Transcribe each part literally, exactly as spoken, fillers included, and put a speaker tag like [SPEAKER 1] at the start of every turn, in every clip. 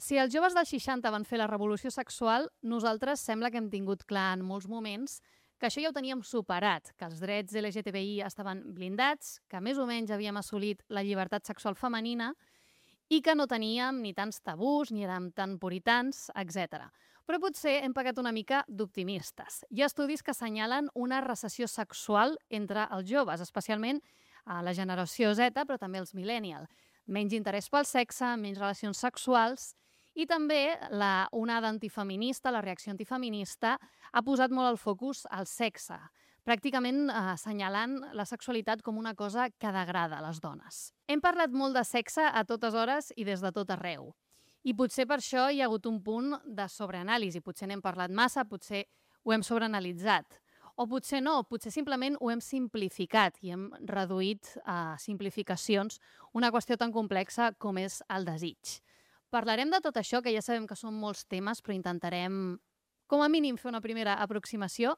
[SPEAKER 1] Si els joves dels seixanta van fer la revolució sexual, nosaltres sembla que hem tingut clar en molts moments que això ja ho teníem superat, que els drets L G T B I estaven blindats, que més o menys havíem assolit la llibertat sexual femenina i que no teníem ni tants tabús, ni érem tan puritans, etcètera. Però potser hem pegat una mica d'optimistes. Hi ha estudis que assenyalen una recessió sexual entre els joves, especialment a la generació Z, però també els millennials. Menys interès pel sexe, menys relacions sexuals i també la onada antifeminista, la reacció antifeminista, ha posat molt el focus al sexe, pràcticament eh, assenyalant la sexualitat com una cosa que degrada les dones. Hem parlat molt de sexe a totes hores i des de tot arreu. I potser per això hi ha hagut un punt de sobreanàlisi. Potser n'hem parlat massa, potser ho hem sobreanalitzat. O potser no, potser simplement ho hem simplificat i hem reduït a simplificacions una qüestió tan complexa com és el desig. Parlarem de tot això, que ja sabem que són molts temes, però intentarem, com a mínim, fer una primera aproximació.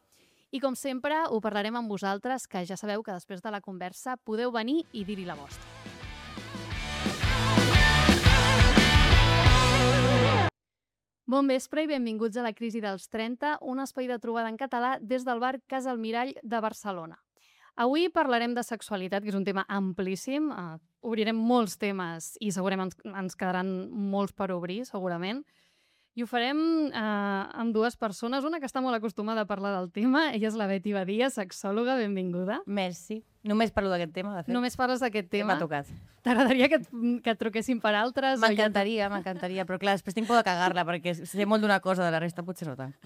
[SPEAKER 1] I, com sempre, ho parlarem amb vosaltres, que ja sabeu que després de la conversa podeu venir i dir-hi la vostra. Bon vespre i benvinguts a La crisi dels trenta, un espai de trobada en català des del bar Casa Almirall de Barcelona. Avui parlarem de sexualitat, que és un tema amplíssim. Uh, obrirem molts temes i segurament ens, ens quedaran molts per obrir, segurament. I ho farem uh, amb dues persones. Una que està molt acostumada a parlar del tema. Ella és la Beti Badia, sexòloga. Benvinguda.
[SPEAKER 2] Merci. Només parlo d'aquest tema, de fet.
[SPEAKER 1] Només parles d'aquest tema?
[SPEAKER 2] M'ha tocat.
[SPEAKER 1] T'agradaria que, et, que et truquessin per altres?
[SPEAKER 2] M'encantaria, m'encantaria. Però clar, després tinc por de cagar-la, perquè sé molt d'una cosa, de la resta potser no tant.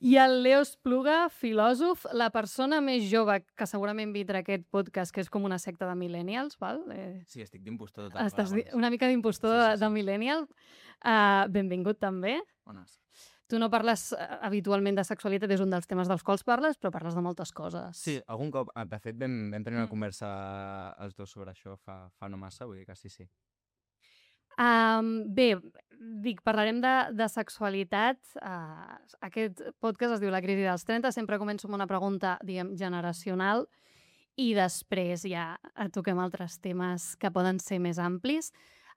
[SPEAKER 1] I el Leo Espluga, filòsof, la persona més jove que segurament vindrà aquest podcast, que és com una secta de millennials, val? Eh...
[SPEAKER 3] Sí, estic d'impostor total.
[SPEAKER 1] Estàs una mica d'impostor sí, sí, sí. de, de millennial. Uh, benvingut també.
[SPEAKER 3] Bones.
[SPEAKER 1] Tu no parles uh, habitualment de sexualitat, és un dels temes dels quals parles, però parles de moltes coses.
[SPEAKER 3] Sí, algun cop, de fet, vam, vam tenir una mm. conversa els dos sobre això fa, fa no massa, vull dir que sí, sí.
[SPEAKER 1] Um, bé, dic, parlarem de, de sexualitat. Uh, aquest podcast es diu La crisi dels trenta. Sempre començo amb una pregunta, diguem, generacional i després ja toquem altres temes que poden ser més amplis.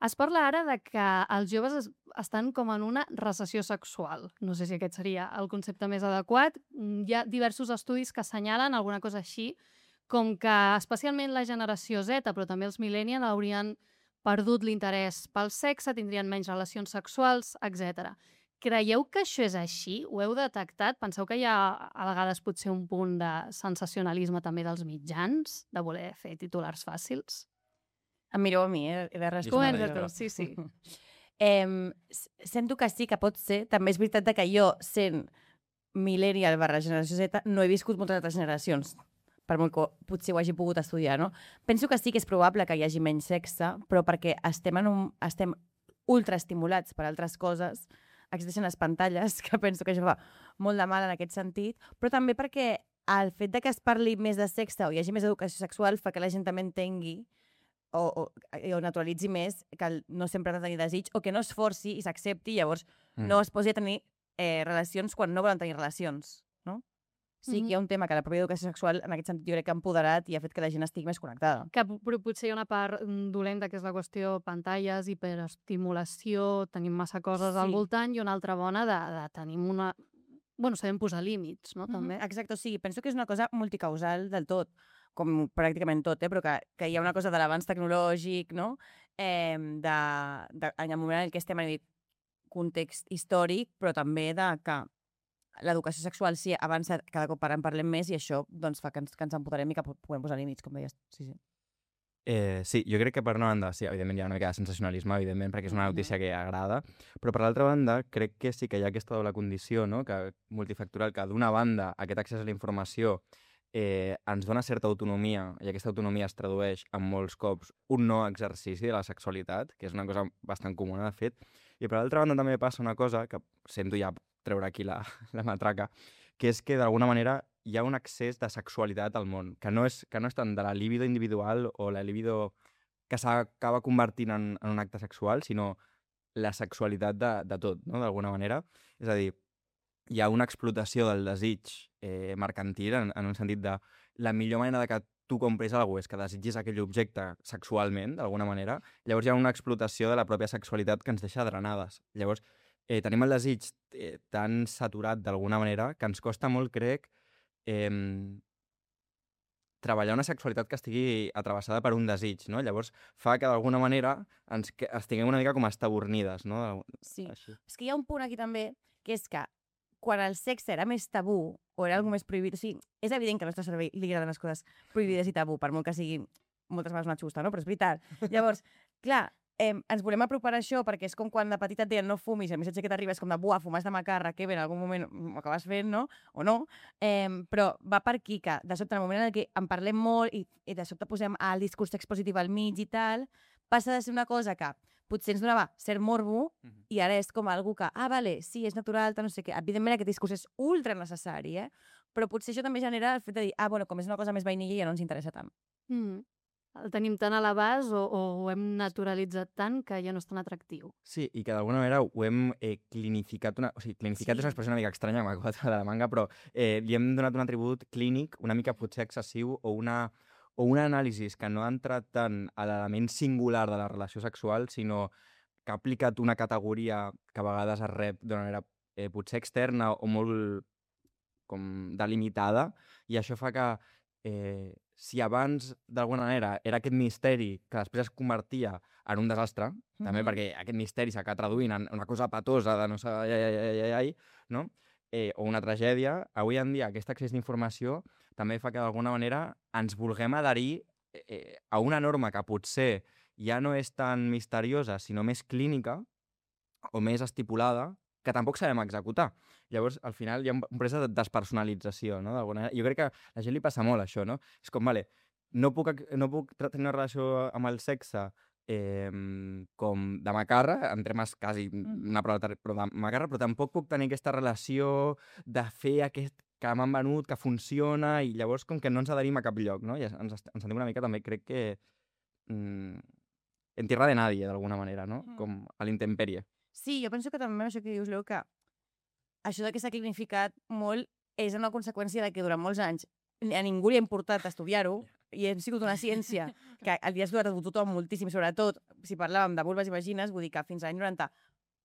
[SPEAKER 1] Es parla ara de que els joves es, estan com en una recessió sexual. No sé si aquest seria el concepte més adequat. Hi ha diversos estudis que assenyalen alguna cosa així, com que especialment la generació Z, però també els millennials, haurien perdut l'interès pel sexe, tindrien menys relacions sexuals, etcètera. Creieu que això és així? Ho heu detectat? Penseu que hi ha a vegades potser un punt de sensacionalisme també dels mitjans, de voler fer titulars fàcils?
[SPEAKER 2] Em mireu a mi, eh? He de
[SPEAKER 1] Comença
[SPEAKER 2] respondre.
[SPEAKER 1] tu, sí, sí.
[SPEAKER 2] eh, sento que sí, que pot ser. També és veritat que jo, sent millennial barra generació Z, no he viscut moltes altres generacions, per molt que potser ho hagi pogut estudiar, no? Penso que sí que és probable que hi hagi menys sexe, però perquè estem, en un, estem ultraestimulats per altres coses, existeixen les pantalles, que penso que això fa molt de mal en aquest sentit, però també perquè el fet de que es parli més de sexe o hi hagi més educació sexual fa que la gent també entengui o, o, o naturalitzi més que no sempre ha de tenir desig o que no es forci i s'accepti i llavors mm. no es posi a tenir eh, relacions quan no volen tenir relacions, no? Sí que hi ha un tema que la pròpia educació sexual en aquest sentit jo crec que ha empoderat i ha fet que la gent estigui més connectada.
[SPEAKER 1] Que però potser hi ha una part dolenta que és la qüestió pantalles, hiperestimulació, tenim massa coses sí. al voltant i una altra bona de, de tenim una... Bueno, sabem posar límits, no? També.
[SPEAKER 2] Mm-hmm. Exacte, o sigui, penso que és una cosa multicausal del tot, com pràcticament tot, eh? Però que, que hi ha una cosa de l'avanç tecnològic, no? Eh, de, de, en el moment en què estem en el context històric, però també de que l'educació sexual sí avança, cada cop en parlem més i això doncs, fa que ens, que ens empoderem i que puguem posar límits, com deies. Sí, sí.
[SPEAKER 3] Eh, sí, jo crec que per una banda, sí, evidentment hi ha una mica de sensacionalisme, evidentment, perquè és una notícia que agrada, però per l'altra banda crec que sí que hi ha aquesta doble condició, no? Que multifactorial, que d'una banda aquest accés a la informació eh, ens dona certa autonomia i aquesta autonomia es tradueix en molts cops un no exercici de la sexualitat, que és una cosa bastant comuna, de fet, i per l'altra banda també passa una cosa que sento ja treure aquí la, la matraca, que és que d'alguna manera hi ha un accés de sexualitat al món, que no és, que no és tant de la libido individual o la libido que s'acaba convertint en, en un acte sexual, sinó la sexualitat de, de tot, no? D'alguna manera. És a dir, hi ha una explotació del desig eh, mercantil en, en un sentit de la millor manera de que tu compris alguna cosa és que desitgis aquell objecte sexualment, d'alguna manera, llavors hi ha una explotació de la pròpia sexualitat que ens deixa drenades. Llavors, eh, tenim el desig eh, tan saturat d'alguna manera que ens costa molt, crec, eh, treballar una sexualitat que estigui atrevessada per un desig, no? Llavors fa que d'alguna manera ens que- estiguem una mica com estabornides, no?
[SPEAKER 2] Sí.
[SPEAKER 3] Així.
[SPEAKER 2] És que hi ha un punt aquí també, que és que quan el sexe era més tabú o era alguna més prohibit, o sigui, és evident que al nostre cervell li agraden les coses prohibides i tabú, per molt que siguin moltes vegades una xusta, no? Però és veritat. Llavors, clar, eh, ens volem apropar a això perquè és com quan de petita et deien no fumis, i el missatge que t'arriba és com de buah, fumes de macarra, que bé, en algun moment ho acabes fent, no? O no. Eh, però va per aquí que, de sobte, en el moment en què en parlem molt i, i de sobte posem el discurs expositiu al mig i tal, passa de ser una cosa que potser ens donava cert morbo
[SPEAKER 3] Mhm.
[SPEAKER 2] i ara és com algú que, ah, vale, sí, és natural, tal, no sé què. Evidentment aquest discurs és ultra necessari, eh? Però potser això també genera el fet de dir, ah, bueno, com és una cosa més vainilla ja no ens interessa tant.
[SPEAKER 1] Mm. El tenim tan a l'abast o, o ho hem naturalitzat tant que ja no és tan atractiu.
[SPEAKER 3] Sí, i que d'alguna manera ho hem eh, clinificat, una... o sigui, clinificat
[SPEAKER 2] Sí.
[SPEAKER 3] és una expressió una mica estranya, que m'ha acabat de la manga, però eh, li hem donat un atribut clínic una mica potser excessiu o una, o una anàlisi que no ha entrat tant a l'element singular de la relació sexual, sinó que ha aplicat una categoria que a vegades es rep d'una manera eh, potser externa o molt com delimitada, i això fa que eh, si abans d'alguna manera era aquest misteri que després es convertia en un desastre, mm -hmm. també
[SPEAKER 2] Mhm.
[SPEAKER 3] perquè aquest misteri s'acaba traduint en una cosa patosa de no sé, ai, ai, ai, ai, ai, no? Eh, o una tragèdia, avui en dia aquest accés d'informació també fa que d'alguna manera ens vulguem adherir eh, a una norma que potser ja no és tan misteriosa, sinó més clínica o més estipulada, que tampoc sabem executar. Llavors, al final, hi ha un procés de despersonalització, no? D'alguna manera. Jo crec que a la gent li passa molt això, no? És com, vale, no puc, ac- no puc tra- tenir una relació amb el sexe eh, com de macarra, en termes quasi
[SPEAKER 2] Mm.
[SPEAKER 3] una prova, de- però de macarra, però tampoc puc tenir aquesta relació de fer aquest que m'han venut, que funciona, i llavors com que no ens adherim a cap lloc, no? I ens, ens sentim una mica també, crec que mm, en tierra de nadie, d'alguna manera, no?
[SPEAKER 2] Mm.
[SPEAKER 3] Com a l'intemperie.
[SPEAKER 2] Sí, jo penso que també això que dius, Leo, que això de que s'ha clinificat molt és una conseqüència de que durant molts anys a ningú li ha importat estudiar-ho i hem sigut una ciència que el dia ha estudiat a tothom moltíssim, sobretot si parlàvem de vulves i vagines, vull dir que fins a l'any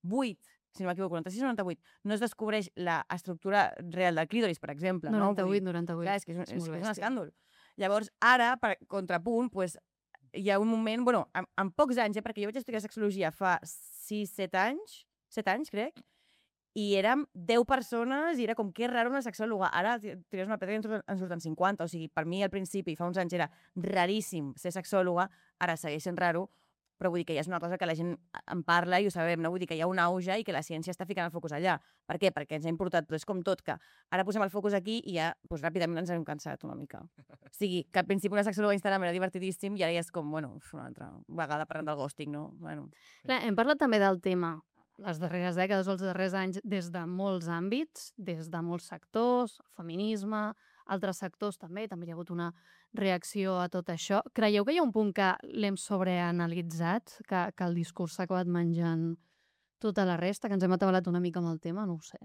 [SPEAKER 2] noranta-vuit, si no m'equivoco, noranta-sis o noranta-vuit, no es descobreix l'estructura real del clítoris, per exemple.
[SPEAKER 1] noranta-vuit,
[SPEAKER 2] no?
[SPEAKER 1] noranta-vuit.
[SPEAKER 2] Clar, és que és un, és,
[SPEAKER 1] molt
[SPEAKER 2] és un
[SPEAKER 1] bèstia.
[SPEAKER 2] escàndol. Llavors, ara, per contrapunt, pues, hi ha un moment, bueno, en, en pocs anys, eh, perquè jo vaig estudiar sexologia fa sis set anys, set anys, crec, i érem deu persones i era com que és raro una sexòloga. Ara tires una pedra i en surten- en surten cinquanta. O sigui, per mi al principi, fa uns anys, era raríssim ser sexòloga, ara segueix sent raro, però vull dir que ja és una cosa que la gent en parla i ho sabem, no? Vull dir que hi ha un auge i que la ciència està ficant el focus allà. Per què? Perquè ens ha importat, però és com tot, que ara posem el focus aquí i ja doncs, ràpidament ens hem cansat una mica. O sigui, que al principi una sexòloga a Instagram era divertidíssim i ara ja és com, bueno, uf, una altra vegada parlant del ghosting, no? Bueno.
[SPEAKER 1] Clar, hem parlat també del tema les darreres dècades o els darrers anys des de molts àmbits, des de molts sectors, feminisme, altres sectors també, també hi ha hagut una reacció a tot això. Creieu que hi ha un punt que l'hem sobreanalitzat, que, que el discurs s'ha acabat menjant tota la resta, que ens hem atabalat una mica amb el tema? No ho sé.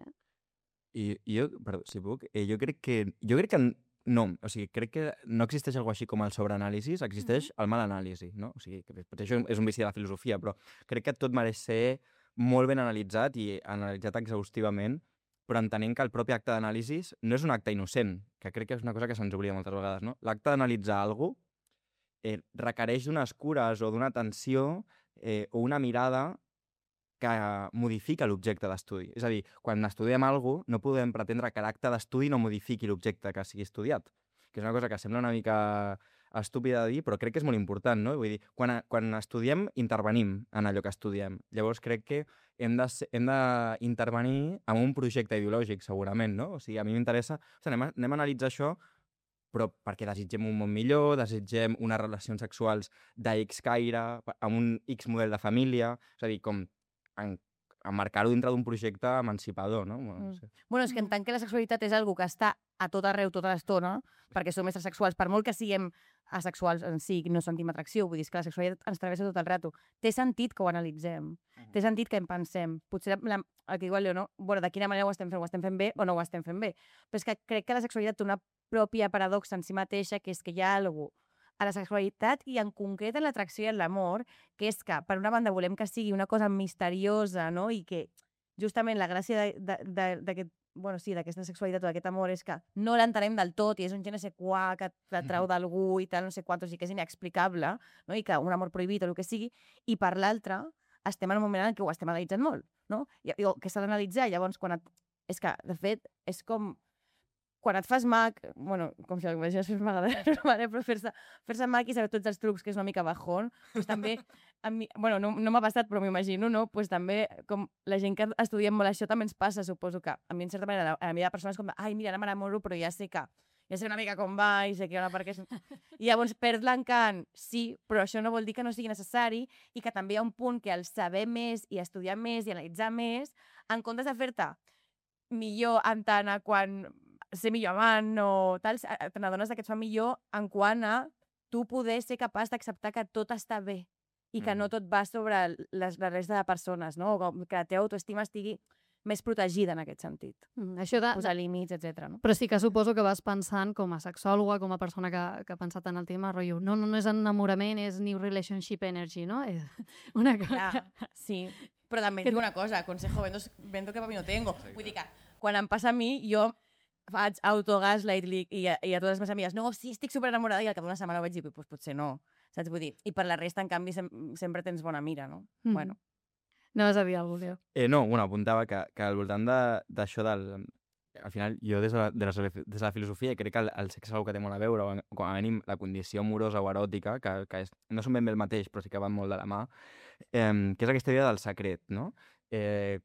[SPEAKER 3] I, i jo, perdó, si puc, eh, jo crec que... Jo crec que n- no, o sigui, crec que no existeix alguna així com el sobreanàlisi, existeix el mal anàlisi, no? O sigui, que potser això és un vici de la filosofia, però crec que tot mereix ser molt ben analitzat i analitzat exhaustivament, però entenent que el propi acte d'anàlisi no és un acte innocent, que crec que és una cosa que se'ns oblida moltes vegades, no? L'acte d'analitzar alguna cosa eh, requereix d'unes cures o d'una atenció eh, o una mirada que modifica l'objecte d'estudi. És a dir, quan estudiem alguna cosa, no podem pretendre que l'acte d'estudi no modifiqui l'objecte que sigui estudiat. Que és una cosa que sembla una mica estúpida de dir, però crec que és molt important, no? Vull dir, quan, a- quan estudiem, intervenim en allò que estudiem. Llavors crec que hem de ser- hem d'intervenir en un projecte ideològic, segurament, no? O sigui, a mi m'interessa... O sigui, anem, a, anem a analitzar això, però perquè desitgem un món millor, desitgem unes relacions sexuals d'X caire, amb un X model de família, és a dir, com en, emmarcar-ho dintre d'un projecte emancipador, no? Bueno, no
[SPEAKER 2] Mm.
[SPEAKER 3] sé.
[SPEAKER 2] Bueno, és que en tant que la sexualitat és algo que està a tot arreu tota l'estona, perquè som éssers sexuals, per molt que siguem asexuals en si, no sentim atracció, vull dir és que la sexualitat ens travessa tot el rato. Té sentit que ho analitzem, té sentit que en pensem. Potser la, el que diu el Leo, no? Bueno, de quina manera ho estem fent? Ho estem fent bé o no ho estem fent bé? Però és que crec que la sexualitat té una pròpia paradoxa en si mateixa, que és que hi ha alguna cosa a la sexualitat i en concret en l'atracció i en l'amor, que és que, per una banda, volem que sigui una cosa misteriosa, no? I que justament la gràcia d'aquest bueno, sí, d'aquesta sexualitat o d'aquest amor és que no l'entenem del tot i és un je ne sé quoi que t'atrau d'algú i tal, no sé quantos, i que és inexplicable, no? I que un amor prohibit o el que sigui, i per l'altra estem en un moment en què ho estem analitzant molt, no? I, o que s'ha d'analitzar, llavors quan et... És que, de fet, és com... Quan et fas mag, bueno, com si m'imagines fer magadet, però fer-se fer mag i saber tots els trucs, que és una mica bajón, doncs també, a mi, bueno, no, no m'ha passat, però m'imagino, no? Pues també, com la gent que estudiem molt això, també ens passa, suposo que a mi, en certa manera, a mi hi ha persones com, ai, mira, ara m'enamoro, però ja sé que, ja sé una mica com va i sé que hi ha una part que... És... I llavors perd l'encant, sí, però això no vol dir que no sigui necessari i que també hi ha un punt que al saber més i estudiar més i analitzar més, en comptes de fer-te millor en tant a quan ser millor amant o tal, te n'adones que et fa millor en quant a tu poder ser capaç d'acceptar que tot està bé i que mm. no tot va sobre les, la resta de persones, no? O que la teva autoestima estigui més protegida en aquest sentit.
[SPEAKER 1] Mm, això de,
[SPEAKER 2] posar límits, etcètera. No?
[SPEAKER 1] Però sí que suposo que vas pensant com a sexòloga, com a persona que, que ha pensat en el tema, rotllo, no, no, no és enamorament, és new relationship energy, no? És una cosa...
[SPEAKER 2] Ja, sí, però també et dic una cosa, consejo, vendo, vendo que per mi no tengo. Vull dir que quan em passa a mi, jo faig autogaslight i, i, i a totes les meves amigues, no, sí, estic superenamorada, i al cap d'una setmana ho vaig dir, pues, potser no, saps? Vull dir, i per la resta, en canvi, sem sempre tens bona mira, no? Mm. Bueno.
[SPEAKER 1] No vas a dir alguna cosa, Leo?
[SPEAKER 3] Eh, no, bueno, apuntava que, que al voltant d'això de, del... Al final, jo des de la, de la, des de la filosofia crec que el, el sexe és una que té molt a veure, o com a mínim la condició amorosa o eròtica, que, que és, no són ben bé el mateix, però sí que van molt de la mà, eh, que és aquesta idea del secret, no? Eh,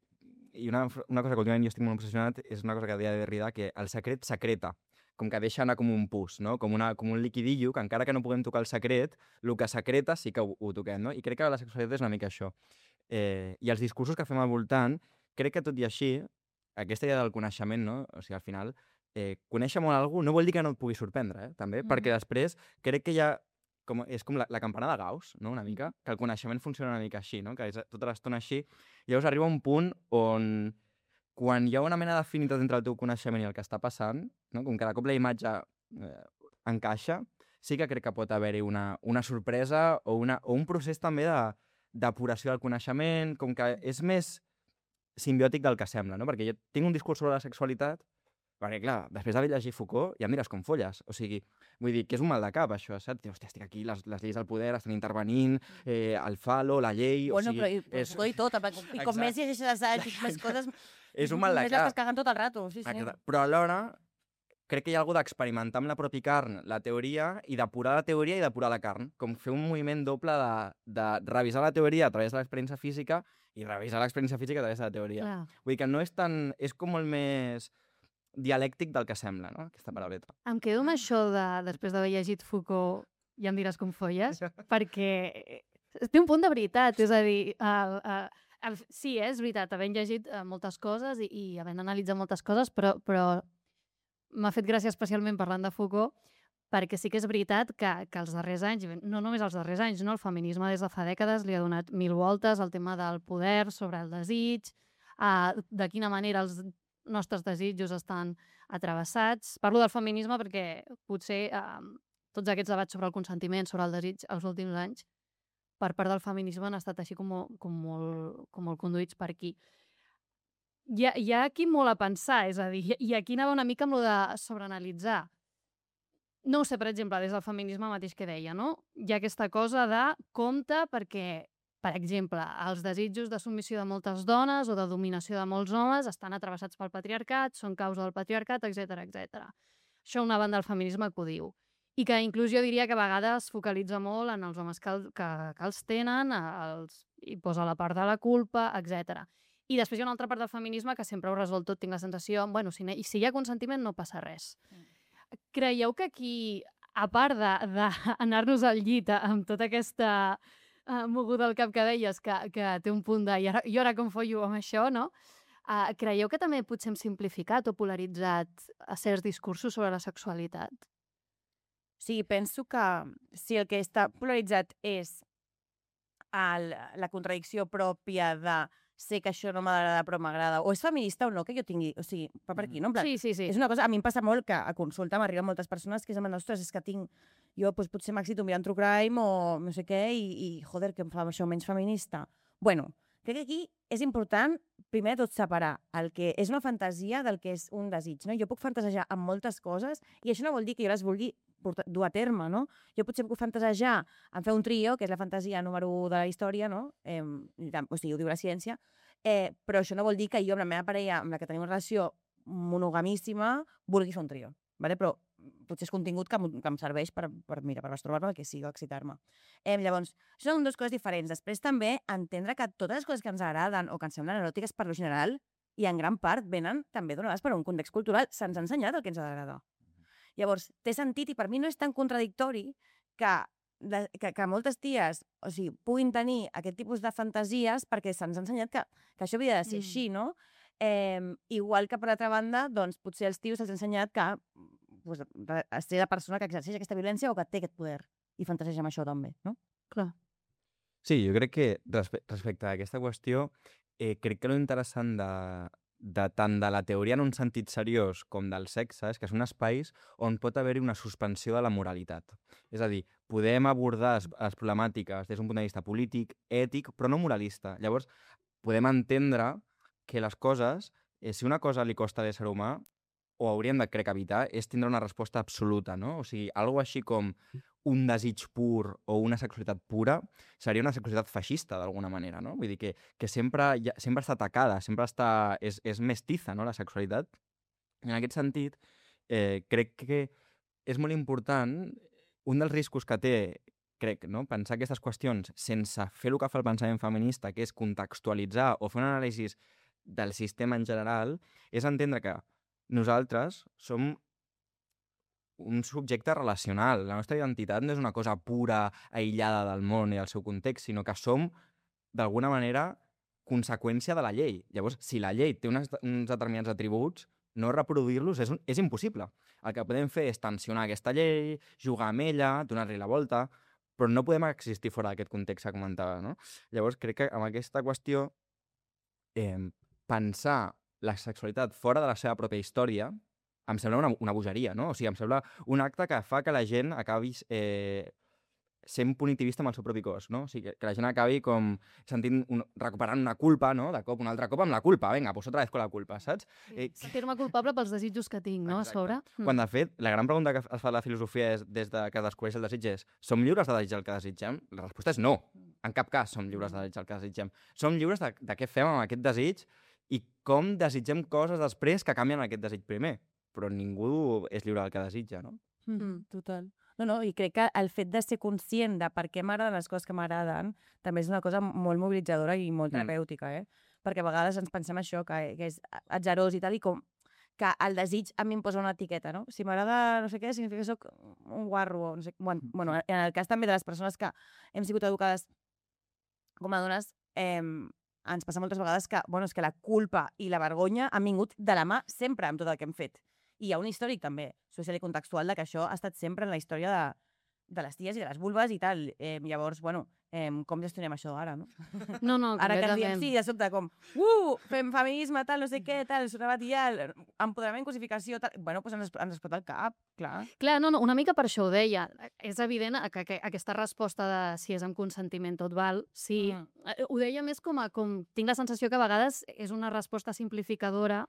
[SPEAKER 3] I una, una cosa que últimament jo estic molt obsessionat és una cosa que deia Derrida, que el secret secreta, com que deixa anar com un pus, no? com, una, com un liquidillo, que encara que no puguem tocar el secret, el que secreta sí que ho, ho toquem, no? I crec que la sexualitat és una mica això. Eh, I els discursos que fem al voltant, crec que tot i així, aquesta idea del coneixement, no? O sigui, al final, eh, conèixer molt algú no vol dir que no et pugui sorprendre, eh? també, mm. perquè després crec que hi ha com, és com la, la campana de Gauss, no? Una mica, que el coneixement funciona una mica així, no? Que és tota l'estona així. I llavors arriba un punt on, quan hi ha una mena d'afinitat entre el teu coneixement i el que està passant, no? Com cada cop la imatge eh, encaixa, sí que crec que pot haver-hi una, una sorpresa o, una, o un procés també de depuració del coneixement, com que és més simbiòtic del que sembla, no? Perquè jo tinc un discurs sobre la sexualitat, perquè, clar, després d'haver llegit Foucault, ja em diràs com folles. O sigui, vull dir, que és un mal de cap, això, saps? Hòstia, estic aquí, les, les lleis del poder estan intervenint, eh, el falo, la llei...
[SPEAKER 2] Bueno,
[SPEAKER 3] o sigui,
[SPEAKER 2] però i, és... i tot, i com més llegeixes assaig, més coses...
[SPEAKER 3] És un mal de cap.
[SPEAKER 2] Més les que caguen tot el rato, sí, sí.
[SPEAKER 3] Exacte. Però alhora, crec que hi ha alguna d'experimentar amb la pròpia carn la teoria i depurar la teoria i depurar la carn. Com fer un moviment doble de, de revisar la teoria a través de l'experiència física i revisar l'experiència física a través de la teoria. Clar. Vull dir que no és tan... És com molt més... dialèctic del que sembla, no? Aquesta parauleta.
[SPEAKER 1] Em quedo amb això de, després d'haver llegit Foucault, ja em diràs com folles, perquè té un punt de veritat, és a dir, el, el, el, sí, eh, és veritat, havent llegit moltes coses i, i havent analitzat moltes coses, però, però m'ha fet gràcia especialment parlant de Foucault, perquè sí que és veritat que, que els darrers anys, no només els darrers anys, no? El feminisme des de fa dècades li ha donat mil voltes al tema del poder sobre el desig, uh, de quina manera els nostres desitjos estan atravessats. Parlo del feminisme perquè potser eh, tots aquests debats sobre el consentiment, sobre el desig, els últims anys, per part del feminisme han estat així com, com, molt, com molt conduïts per aquí. Hi ha, hi ha aquí molt a pensar, és a dir, i aquí anava una mica amb lo de sobreanalitzar. No ho sé, per exemple, des del feminisme mateix que deia, no? Hi ha aquesta cosa de compte perquè... Per exemple, els desitjos de submissió de moltes dones o de dominació de molts homes estan atravessats pel patriarcat, són causa del patriarcat, etcètera, etcètera. Això una banda del feminisme que ho diu. I que inclús jo diria que a vegades es focalitza molt en els homes que, que, que els tenen, els, i posa la part de la culpa, etcètera. I després hi ha una altra part del feminisme que sempre ho resol tot, tinc la sensació, bueno, si, i si hi ha consentiment no passa res. Mm. Creieu que aquí, a part d'anar-nos al llit amb tota aquesta... Uh, moguda al cap que deies, que, que té un punt de i ara, i ara com follo amb això, no? Uh, creieu que també potser hem simplificat o polaritzat a certs discursos sobre la sexualitat?
[SPEAKER 2] Sí, penso que si el que està polaritzat és el, la contradicció pròpia de sé que això no m'agrada però m'agrada, o és feminista o no que jo tingui, o sigui, va per aquí, no? En plan,
[SPEAKER 1] Sí, sí, sí.
[SPEAKER 2] és una cosa, a mi em passa molt que a consulta m'arriben moltes persones que es diuen, ostres, és que tinc, jo doncs, potser m'excito mirant True Crime o no sé què, i, i joder, que em fa això menys feminista. Bueno, crec que aquí és important, primer de tot, separar el que és una fantasia del que és un desig, no? Jo puc fantasejar amb moltes coses i això no vol dir que jo les vulgui portar, dur a terme, no? Jo potser puc fantasejar en fer un trio, que és la fantasia número un de la història, no? Eh, o sigui, ho diu la ciència, eh, però això no vol dir que jo amb la meva parella, amb la que tenim una relació monogamíssima, vulgui fer un trio, ¿vale? Però potser és contingut que, que em serveix per, per, mira, per masturbar-me, el que sigui, excitar-me. Eh, llavors, això són dues coses diferents. Després també entendre que totes les coses que ens agraden o que ens semblen eròtiques per lo general i en gran part venen també donades per un context cultural. Se'ns ha ensenyat el que ens agrada. Llavors, té sentit i per mi no és tan contradictori que, de, que, que moltes ties o sigui, puguin tenir aquest tipus de fantasies perquè se'ns ha ensenyat que, que això havia de ser mm. així, no? Eh, igual que, per altra banda, doncs, potser als tios se'ls ha ensenyat que pues, ser la persona que exerceix aquesta violència o que té aquest poder i fantaseja amb això també, no?
[SPEAKER 1] Clar.
[SPEAKER 3] Sí, jo crec que respe respecte a aquesta qüestió, eh, crec que l'interessant de, de tant de la teoria en un sentit seriós com del sexe és que són espais on pot haver-hi una suspensió de la moralitat. És a dir, podem abordar les, les problemàtiques des d'un punt de vista polític, ètic, però no moralista. Llavors, podem entendre que les coses, eh, si una cosa li costa a l'ésser humà, o hauríem de, crec, evitar, és tindre una resposta absoluta, no? O sigui, algo així com un desig pur o una sexualitat pura seria una sexualitat feixista, d'alguna manera, no? Vull dir que, que sempre, ja, sempre està atacada, sempre està, és, és mestiza, no?, la sexualitat. En aquest sentit, eh, crec que és molt important, un dels riscos que té, crec, no?, pensar aquestes qüestions sense fer el que fa el pensament feminista, que és contextualitzar o fer un anàlisi del sistema en general, és entendre que nosaltres som un subjecte relacional. La nostra identitat no és una cosa pura, aïllada del món i del seu context, sinó que som, d'alguna manera, conseqüència de la llei. Llavors, si la llei té unes, uns determinats atributs, no reproduir-los és, un, és impossible. El que podem fer és tensionar aquesta llei, jugar amb ella, donar-li la volta, però no podem existir fora d'aquest context que comentava, no? Llavors, crec que amb aquesta qüestió, eh, pensar la sexualitat fora de la seva pròpia història em sembla una, una bogeria, no? O sigui, em sembla un acte que fa que la gent acabi eh, sent punitivista amb el seu propi cos, no? O sigui, que, que la gent acabi com sentint, un, recuperant una culpa, no? De cop, un altre cop amb la culpa. Vinga, pues otra vez con la culpa, saps?
[SPEAKER 1] Sí, sentir-me culpable pels desitjos que tinc, no? Exacte. A sobre.
[SPEAKER 3] Quan, de fet, la gran pregunta que es fa la filosofia és, des de que descobreix el desig és: som lliures de desitjar el que desitgem? La resposta és no. En cap cas som lliures de desitjar el que desitgem. Som lliures de, de què fem amb aquest desig i com desitgem coses després que canvien aquest desig primer. Però ningú és lliure del que desitja, no?
[SPEAKER 2] Mm, total. No, no, i crec que el fet de ser conscient de per què m'agraden les coses que m'agraden també és una cosa molt mobilitzadora i molt terapèutica, eh? Perquè a vegades ens pensem això, que, que és atzarós i tal, i com que el desig a mi em posa una etiqueta, no? Si m'agrada no sé què, significa que soc un guarro, no sé... Bueno, bueno, en el cas també de les persones que hem sigut educades com a dones, eh, ens passa moltes vegades que, bueno, és que la culpa i la vergonya han vingut de la mà sempre amb tot el que hem fet. I hi ha un històric també, social i contextual, de que això ha estat sempre en la història de, de les ties i de les vulves i tal. Eh, llavors, bueno, eh, com gestionem això ara, no?
[SPEAKER 1] No, no,
[SPEAKER 2] ara que ens diem, sí, de sobte, com, uh, fem feminisme, tal, no sé què, tal, sonavat i ja, empoderament, cosificació, tal... Bueno, doncs ens, ens explota el cap, clar.
[SPEAKER 1] Clar, no, no, una mica per això ho deia. És evident que, que aquesta resposta de si és amb consentiment tot val, sí. Mm. Ho deia més com a... Com, tinc la sensació que a vegades és una resposta simplificadora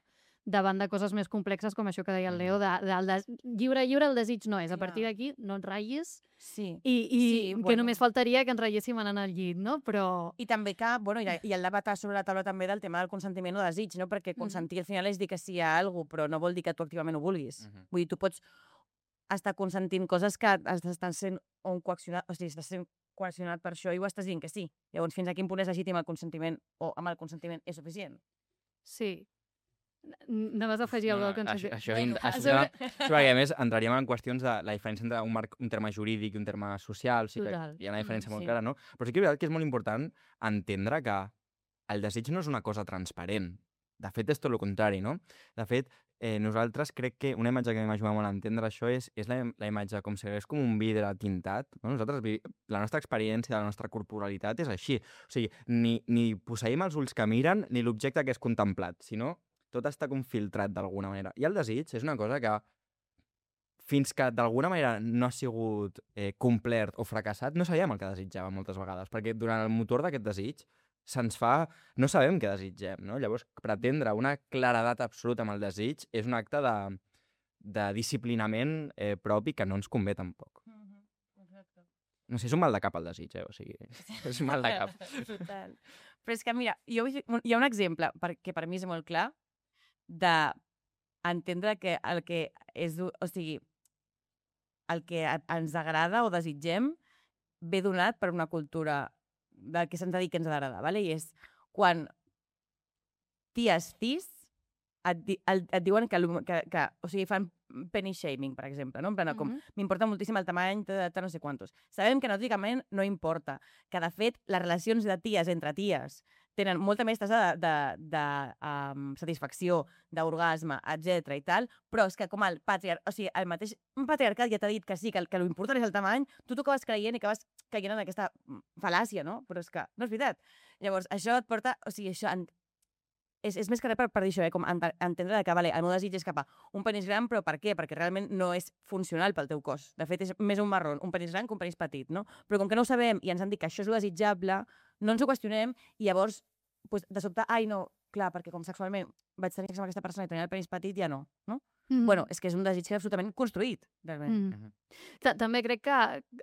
[SPEAKER 1] davant de coses més complexes com això que deia el Leo, de, de, de, lliure, lliure el desig no és. A partir d'aquí no et ratllis
[SPEAKER 2] sí.
[SPEAKER 1] i, i
[SPEAKER 2] sí,
[SPEAKER 1] que
[SPEAKER 2] bueno.
[SPEAKER 1] només faltaria que ens ratlléssim anant al llit, no? Però...
[SPEAKER 2] I també que, bueno, i, i el debat sobre la taula també del tema del consentiment o desig, no? Perquè consentir mm. al final és dir que sí a alguna cosa, però no vol dir que tu activament ho vulguis. Mm -hmm. Vull dir, tu pots estar consentint coses que estan sent on coaccionat, o sigui, estàs sent coaccionat per això i ho estàs dient que sí. Llavors, fins a quin punt és legítim el consentiment o amb el consentiment és suficient?
[SPEAKER 1] Sí. Anaves a afegir alguna cosa?
[SPEAKER 3] Això, això, bueno, això, sobre... això, perquè a més entraríem en qüestions de la diferència entre un, marc, un terme jurídic i un terme social, o sigui que hi ha una diferència mm, molt sí. clara, no? Però sí que és veritat que és molt important entendre que el desig no és una cosa transparent. De fet, és tot el contrari, no? De fet, eh, nosaltres crec que una imatge que m'ajuda molt a entendre això és, és la, la imatge com si hagués com un vidre tintat. No? Nosaltres, vi- la nostra experiència, la nostra corporalitat és així. O sigui, ni, ni posseïm els ulls que miren ni l'objecte que és contemplat, sinó tot està com filtrat d'alguna manera. I el desig és una cosa que fins que d'alguna manera no ha sigut eh, complert o fracassat, no sabíem el que desitjàvem moltes vegades, perquè durant el motor d'aquest desig se'ns fa... no sabem què desitgem, no? Llavors, pretendre una claredat absoluta amb el desig és un acte de, de disciplinament eh, propi que no ens convé tampoc. No sé, és un mal de cap el desig, eh? O sigui, és un mal de cap.
[SPEAKER 2] Total. Però és que, mira, jo, vull dir- hi ha un exemple per, que per mi és molt clar de entendre que el que és... O sigui, el que a- ens agrada o desitgem ve donat per una cultura del que se'ns ha dit que ens ha d'agradar, ¿vale? I és quan ties tis et, di, el, et diuen que, el- que, que, o sigui, fan penny shaming, per exemple, no? En plan, com,
[SPEAKER 1] Mhm.
[SPEAKER 2] m'importa moltíssim el tamany, de, de no sé quantos. Sabem que anatòmicament no importa, que de fet les relacions de ties entre ties tenen molta més tasa de, de, de um, satisfacció, d'orgasme, etcètera i tal, però és que com el patriarcat, o sigui, el mateix patriarcat ja t'ha dit que sí, que el, que l'important és el tamany, tu t'ho acabes creient i acabes caient en aquesta fal·làcia, no? Però és que no és veritat. Llavors, això et porta, o sigui, això en, és, és més que res per, per dir això, eh? Com ent entendre que vale, el meu desig és cap a un penis gran, però per què? Perquè realment no és funcional pel teu cos. De fet, és més un marrón, un penis gran que un penis petit, no? Però com que no ho sabem i ens han dit que això és lo desitjable, no ens ho qüestionem i llavors, pues, de sobte, ai, no, clar, perquè com sexualment vaig tenir sexe amb aquesta persona i tenia el penis petit, ja no, no?
[SPEAKER 1] Mhm.
[SPEAKER 2] Bueno, és que és un desig absolutament construït, realment.
[SPEAKER 1] Mhm.
[SPEAKER 3] Mhm.
[SPEAKER 1] Ta- També crec que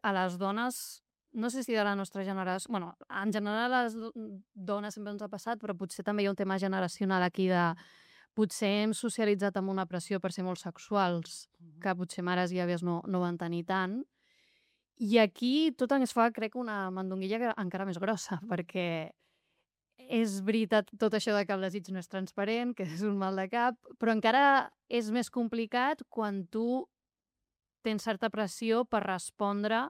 [SPEAKER 1] a les dones, no sé si de la nostra generació... bueno, en general a les do- dones sempre ens ha passat, però potser també hi ha un tema generacional aquí de... Potser hem socialitzat amb una pressió per ser molt sexuals, que potser mares i àvies no, no van tenir tant. I aquí tot ens fa, crec, una mandonguilla que- encara més grossa, perquè és veritat tot això de que el desig no és transparent, que és un mal de cap, però encara és més complicat quan tu tens certa pressió per respondre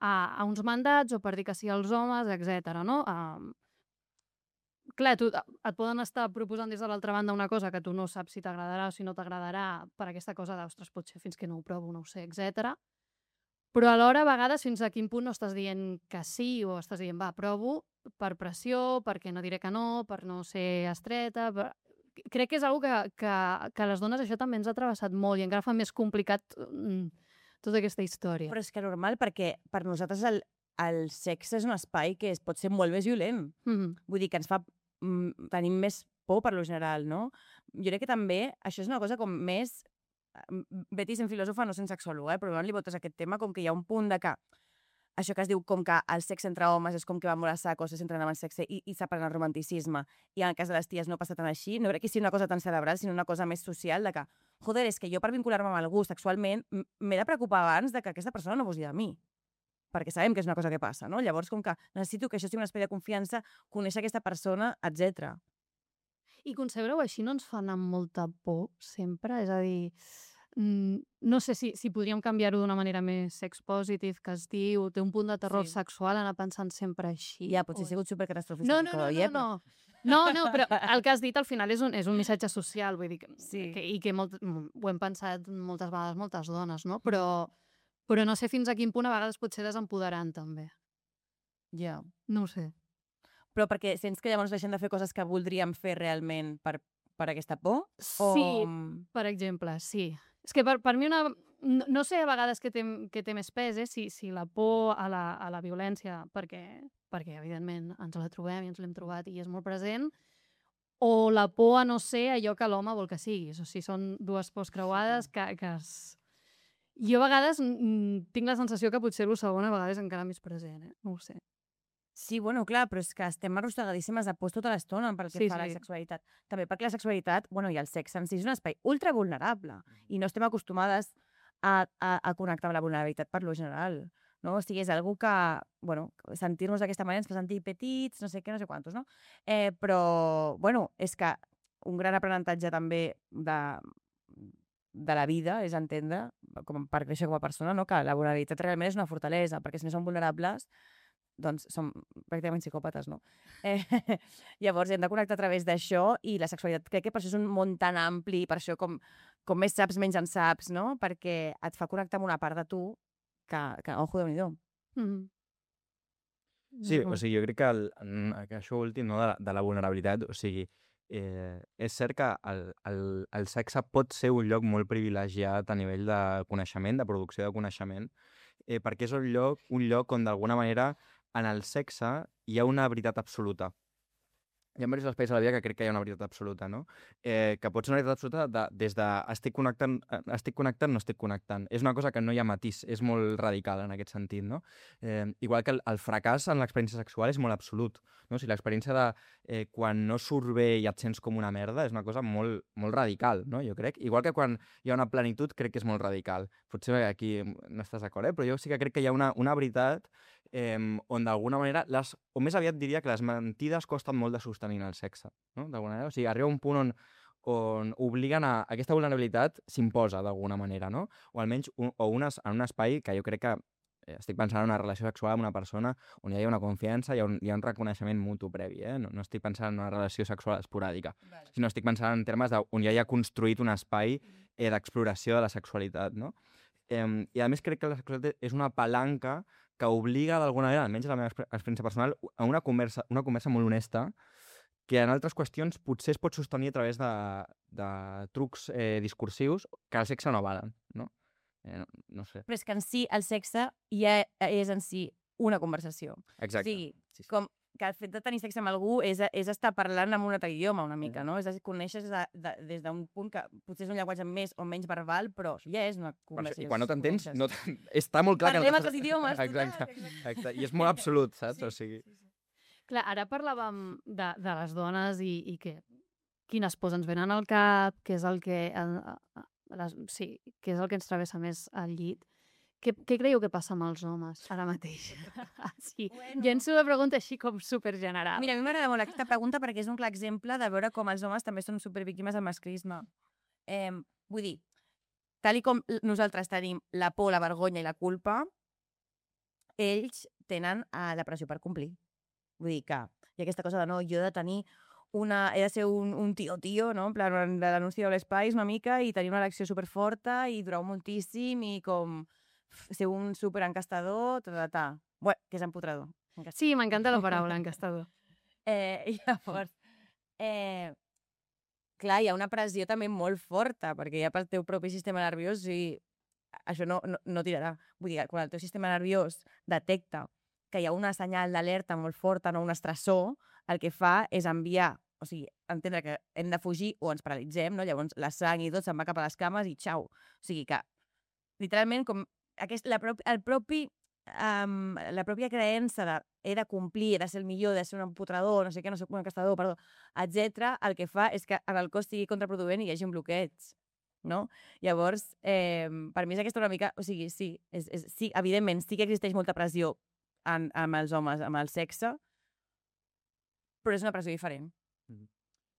[SPEAKER 1] a, a uns mandats o per dir que sí als homes, etcètera. No? Um, clar, tu, et poden estar proposant des de l'altra banda una cosa que tu no saps si t'agradarà o si no t'agradarà per aquesta cosa d'ostres, potser fins que no ho provo, no ho sé, etcètera. Però alhora, a vegades, fins a quin punt no estàs dient que sí o estàs dient, va, provo per pressió, perquè no diré que no, per no ser estreta... Per... Crec que és una que, que, que a les dones això també ens ha travessat molt i encara fa més complicat mm, tota aquesta història.
[SPEAKER 2] Però és que normal, perquè per nosaltres el, el sexe és un espai que es pot ser molt més violent.
[SPEAKER 1] Mm.
[SPEAKER 2] Vull dir que ens fa... Mm, tenim més por per lo general, no? Jo crec que també això és una cosa com més... Betty sent filòsofa, no sent sexòloga, eh? Però quan li votes aquest tema, com que hi ha un punt de que això que es diu com que el sexe entre homes és com que va molt a saco, se centren en el sexe i, i separen el romanticisme, i en el cas de les ties no passa tan així, no crec que sigui una cosa tan cerebral, sinó una cosa més social de que, joder, és que jo per vincular-me amb algú sexualment m'he de preocupar abans de que aquesta persona no abusi de mi, perquè sabem que és una cosa que passa, no? Llavors, com que necessito que això sigui un espai de confiança, conèixer aquesta persona, etcètera.
[SPEAKER 1] I concebre-ho així no ens fa anar amb molta por sempre? És a dir, mm, no sé si, si podríem canviar-ho d'una manera més sex-positive, que es diu, té un punt de terror
[SPEAKER 2] Sí.
[SPEAKER 1] sexual anar pensant sempre així.
[SPEAKER 2] Ja, potser
[SPEAKER 1] o...
[SPEAKER 2] he sigut supercatastrofista.
[SPEAKER 1] No, no, no,
[SPEAKER 2] psicòleg,
[SPEAKER 1] no,
[SPEAKER 2] eh, però-
[SPEAKER 1] no. No, no, però el que has dit al final és un, és un missatge social, vull dir, que,
[SPEAKER 2] Sí.
[SPEAKER 1] que, i que molt, ho hem pensat moltes vegades moltes dones, no? Però, però no sé fins a quin punt a vegades pot ser desempoderant, també.
[SPEAKER 2] Ja.
[SPEAKER 1] No ho sé.
[SPEAKER 2] Però perquè sents que llavors deixem de fer coses que voldríem fer realment per, per aquesta por? O...
[SPEAKER 1] Sí, per exemple, sí. És que per, per mi una... No, no sé a vegades què té, què té més pes, eh? si, si la por a la, a la violència, perquè, perquè evidentment ens la trobem i ens l'hem trobat i és molt present, o la por a no ser allò que l'home vol que siguis. O sigui, són dues pors creuades que, que es... Jo a vegades mm, tinc la sensació que potser el segon a vegades encara més present, eh? No ho sé.
[SPEAKER 2] Sí, bueno, clar, però és que estem arrossegadíssimes de por tota l'estona pel que
[SPEAKER 1] Sí,
[SPEAKER 2] fa a la
[SPEAKER 1] sí.
[SPEAKER 2] sexualitat. També perquè la sexualitat, bueno, i el sexe en si és un espai ultra vulnerable i no estem acostumades a, a, a connectar amb la vulnerabilitat per lo general, no? O sigui, és algú que, bueno, sentir-nos d'aquesta manera ens fa sentir petits, no sé què, no sé quantos, no? Eh, però, bueno, és que un gran aprenentatge també de, de la vida és entendre, com per créixer com a persona, no? Que la vulnerabilitat realment és una fortalesa, perquè si no som vulnerables, doncs som pràcticament psicòpates, no? Eh, llavors hem de connectar a través d'això i la sexualitat crec que per això és un món tan ampli, per això com, com més saps, menys en saps, no? Perquè et fa connectar amb una part de tu que, que ojo, Déu-n'hi-do.
[SPEAKER 1] Mm.
[SPEAKER 3] Sí, o sigui, jo crec que, el, que això últim, no, de, la, de la vulnerabilitat, o sigui, eh, és cert que el, el, el sexe pot ser un lloc molt privilegiat a nivell de coneixement, de producció de coneixement, eh, perquè és un lloc, un lloc on d'alguna manera en el sexe hi ha una veritat absoluta. Hi ha diversos espais a la vida que crec que hi ha una veritat absoluta, no? Eh, que pot ser una veritat absoluta de, des de estic connectant, estic connectant, no estic connectant. És una cosa que no hi ha matís, és molt radical en aquest sentit, no? Eh, igual que el, el fracàs en l'experiència sexual és molt absolut, no? O sigui, l'experiència de eh, quan no surt bé i et sents com una merda és una cosa molt, molt radical, no? Jo crec. Igual que quan hi ha una plenitud crec que és molt radical. Potser aquí no estàs d'acord, eh? Però jo sí que crec que hi ha una, una veritat eh, on d'alguna manera, les, o més aviat diria que les mentides costen molt de sostenir en el sexe, no? D'alguna manera. O sigui, arriba un punt on, on obliguen a... Aquesta vulnerabilitat s'imposa d'alguna manera, no? O almenys un, o unes, en un espai que jo crec que eh, estic pensant en una relació sexual amb una persona on hi ha una confiança, hi ha un, hi ha un reconeixement mutu previ, eh? No, no estic pensant en una relació sexual esporàdica, vale. Sinó estic pensant en termes de, on ja hi ha construït un espai eh, d'exploració de la sexualitat, no? Eh, I a més crec que la sexualitat és una palanca que obliga d'alguna manera, almenys a la meva experiència personal, a una conversa, una conversa molt honesta que en altres qüestions potser es pot sostenir a través de, de trucs eh, discursius que el sexe no valen, no? Eh, no, no sé.
[SPEAKER 2] Però és que en si el sexe ja és en si una conversació.
[SPEAKER 3] Exacte.
[SPEAKER 2] O sigui,
[SPEAKER 3] sí, sí.
[SPEAKER 2] com que el fet de tenir sexe amb algú és, és estar parlant amb un altre idioma una mica, no? És a dir, coneixes de, de, des d'un punt que potser és un llenguatge més o menys verbal, però ja és una conversació.
[SPEAKER 3] I quan no t'entens, no està molt clar
[SPEAKER 2] Parlem
[SPEAKER 3] que no
[SPEAKER 2] altres idiomes.
[SPEAKER 3] Exacte, exacte. I és molt absolut, saps? Sí, o sigui...
[SPEAKER 2] sí, sí.
[SPEAKER 1] Clar, ara parlàvem de, de les dones i, i que, quines pors ens venen al cap, què és el que, el, les, sí, què és el que ens travessa més al llit. Què, què creieu que passa amb els homes ara mateix? Sí, bueno. Llenço la pregunta així com supergeneral.
[SPEAKER 2] Mira, a mi m'agrada molt aquesta pregunta perquè és un clar exemple de veure com els homes també són supervíctimes del masclisme. Eh, vull dir, tal i com nosaltres tenim la por, la vergonya i la culpa, ells tenen eh, la pressió per complir. Vull dir que hi ha aquesta cosa de no, jo he de tenir una... he de ser un, un tio-tio, no? En plan, de l'anunci de l'Espais una mica i tenir una elecció superforta i durar moltíssim i com... ser un superencastador, ta, ta, ta. Bueno, que és empotrador.
[SPEAKER 1] Encastador. Sí, m'encanta la paraula, encastador.
[SPEAKER 2] eh, I llavors, eh, clar, hi ha una pressió també molt forta, perquè ja pel teu propi sistema nerviós, i això no, no, no tirarà. Vull dir, quan el teu sistema nerviós detecta que hi ha una senyal d'alerta molt forta, no un estressor, el que fa és enviar, o sigui, entendre que hem de fugir o ens paralitzem, no? Llavors la sang i tot se'n va cap a les cames i xau. O sigui que, literalment, com Aquest, la propi, el propi, um, la pròpia creença de he de complir, he de ser el millor, he de ser un empotrador, no sé què, no sé un encastador, perdó, etcètera, el que fa és que en el cos sigui contraproduent i hi hagi un bloqueig, no? Llavors, eh, per mi és aquesta una mica... O sigui, sí, és, és, sí, evidentment, sí que existeix molta pressió en, amb els homes, amb el sexe, però és una pressió diferent.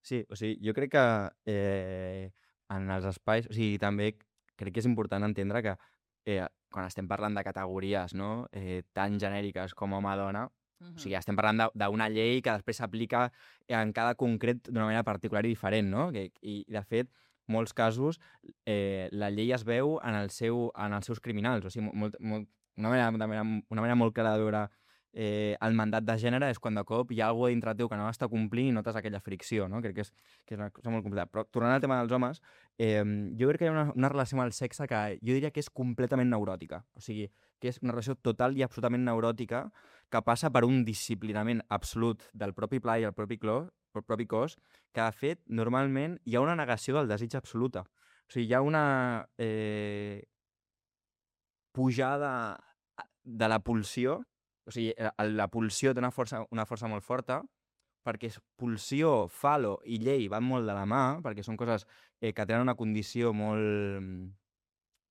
[SPEAKER 3] Sí, o sigui, jo crec que eh, en els espais... O sigui, també crec que és important entendre que eh, quan estem parlant de categories, no? eh, tan genèriques com home-dona, uh-huh. O sigui, estem parlant d'una llei que després s'aplica en cada concret d'una manera particular i diferent, no? Que, i, de fet, molts casos eh, la llei es veu en, el seu, en els seus criminals. O sigui, molt, molt, una, manera, una, manera, una manera molt clara de veure eh, el mandat de gènere és quan de cop hi ha alguna cosa dintre teu que no està complint i notes aquella fricció, no? Crec que és, que és una cosa molt complicada. Però tornant al tema dels homes, eh, jo crec que hi ha una, una relació amb el sexe que jo diria que és completament neuròtica. O sigui, que és una relació total i absolutament neuròtica que passa per un disciplinament absolut del propi pla i el propi, clo, el propi cos, que de fet, normalment, hi ha una negació del desig absoluta. O sigui, hi ha una eh, pujada de la pulsió. O sigui, la pulsió té una força, una força molt forta, perquè pulsió, falo i llei van molt de la mà, perquè són coses eh, que tenen una condició molt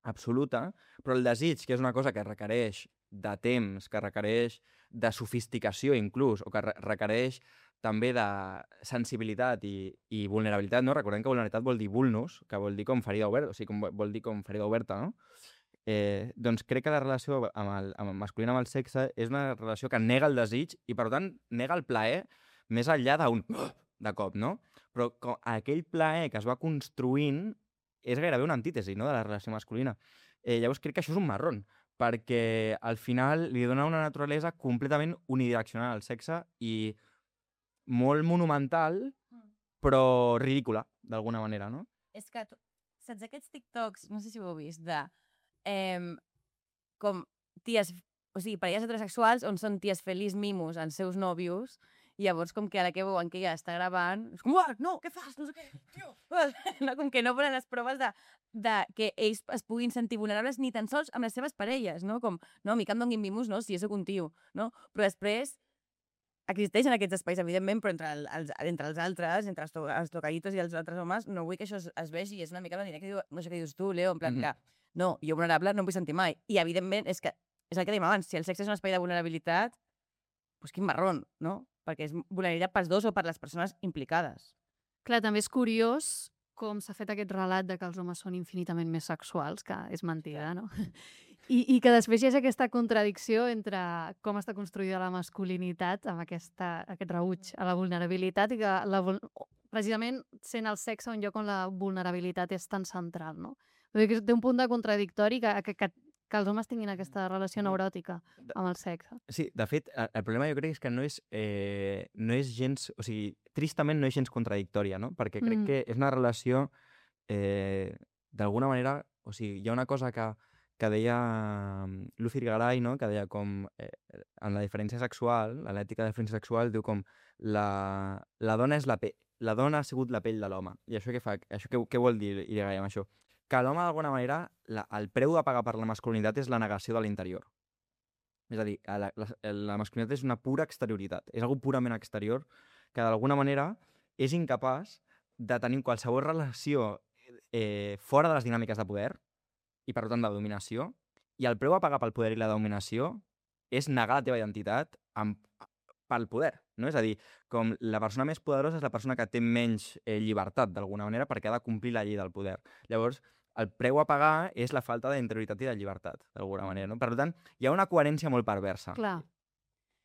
[SPEAKER 3] absoluta, però el desig, que és una cosa que requereix de temps, que requereix de sofisticació inclús, o que re requereix també de sensibilitat i, i vulnerabilitat, no? Recordem que vulnerabilitat vol dir vulnus, que vol dir com ferida oberta, o sigui, com, vol dir com ferida oberta, no? Eh, doncs crec que la relació amb el, amb el masculí amb el sexe és una relació que nega el desig i, per tant, nega el plaer més enllà d'un de cop, no? Però com aquell plaer que es va construint és gairebé una antítesi, no?, de la relació masculina. Eh, llavors crec que això és un marrón, perquè al final li dona una naturalesa completament unidireccional al sexe i molt monumental, però ridícula, d'alguna manera, no?
[SPEAKER 2] És que, tu, saps aquests TikToks, no sé si ho heu vist, de eh, com ties, o sigui, parelles heterosexuals on són ties feliç mimos als seus nòvios i llavors com que a la que veuen que ella està gravant és com, uah, no, què fas? No sé què, tio. No, com que no ponen les proves de, de que ells es puguin sentir vulnerables ni tan sols amb les seves parelles, no? Com, no, a mi que em donguin mimos, no? Si jo soc un tio, no? Però després existeixen aquests espais, evidentment, però entre, el, els, entre els altres, entre els, to, els tocaditos i els altres homes, no vull que això es, es vegi, és una mica la que diu, no sé què dius tu, Leo, en plan
[SPEAKER 3] Mhm.
[SPEAKER 2] que, no, jo vulnerable no em vull sentir mai. I, evidentment, és que és el que dèiem abans, si el sexe és un espai de vulnerabilitat, doncs quin marrón, no? Perquè és vulnerabilitat pels dos o per les persones implicades.
[SPEAKER 1] Clar, també és curiós com s'ha fet aquest relat de que els homes són infinitament més sexuals, que és mentida, no? I, I que després hi ha aquesta contradicció entre com està construïda la masculinitat amb aquesta, aquest rebuig a la vulnerabilitat i que la, precisament sent el sexe un lloc on la vulnerabilitat és tan central, no? Vull dir que té un punt de contradictori que, que, que, que els homes tinguin aquesta relació neuròtica amb el sexe.
[SPEAKER 3] Sí, de fet, el, el problema jo crec és que no és, eh, no és gens... O sigui, tristament no és gens contradictòria, no? Perquè crec
[SPEAKER 1] Mm.
[SPEAKER 3] que és una relació, eh, d'alguna manera... O sigui, hi ha una cosa que, que deia mm, Lucy Garay, no?, que deia com eh, en la diferència sexual, en l'ètica de diferència sexual, diu com la, la dona és la pe la dona ha sigut la pell de l'home. I això què fa? Això què, què vol dir Irigaray amb això? Que l'home, d'alguna manera, la, el preu a pagar per la masculinitat és la negació de l'interior. És a dir, la, la, la masculinitat és una pura exterioritat. És algo purament exterior que, d'alguna manera, és incapaç de tenir qualsevol relació eh, fora de les dinàmiques de poder i, per tant, de dominació. I el preu a pagar pel poder i la dominació és negar la teva identitat amb, pel poder, no? És a dir, com la persona més poderosa és la persona que té menys eh, llibertat, d'alguna manera, perquè ha de complir la llei del poder. Llavors, el preu a pagar és la falta d'interioritat i de llibertat, d'alguna manera, no? Per tant, hi ha una coherència molt perversa.
[SPEAKER 1] Clar.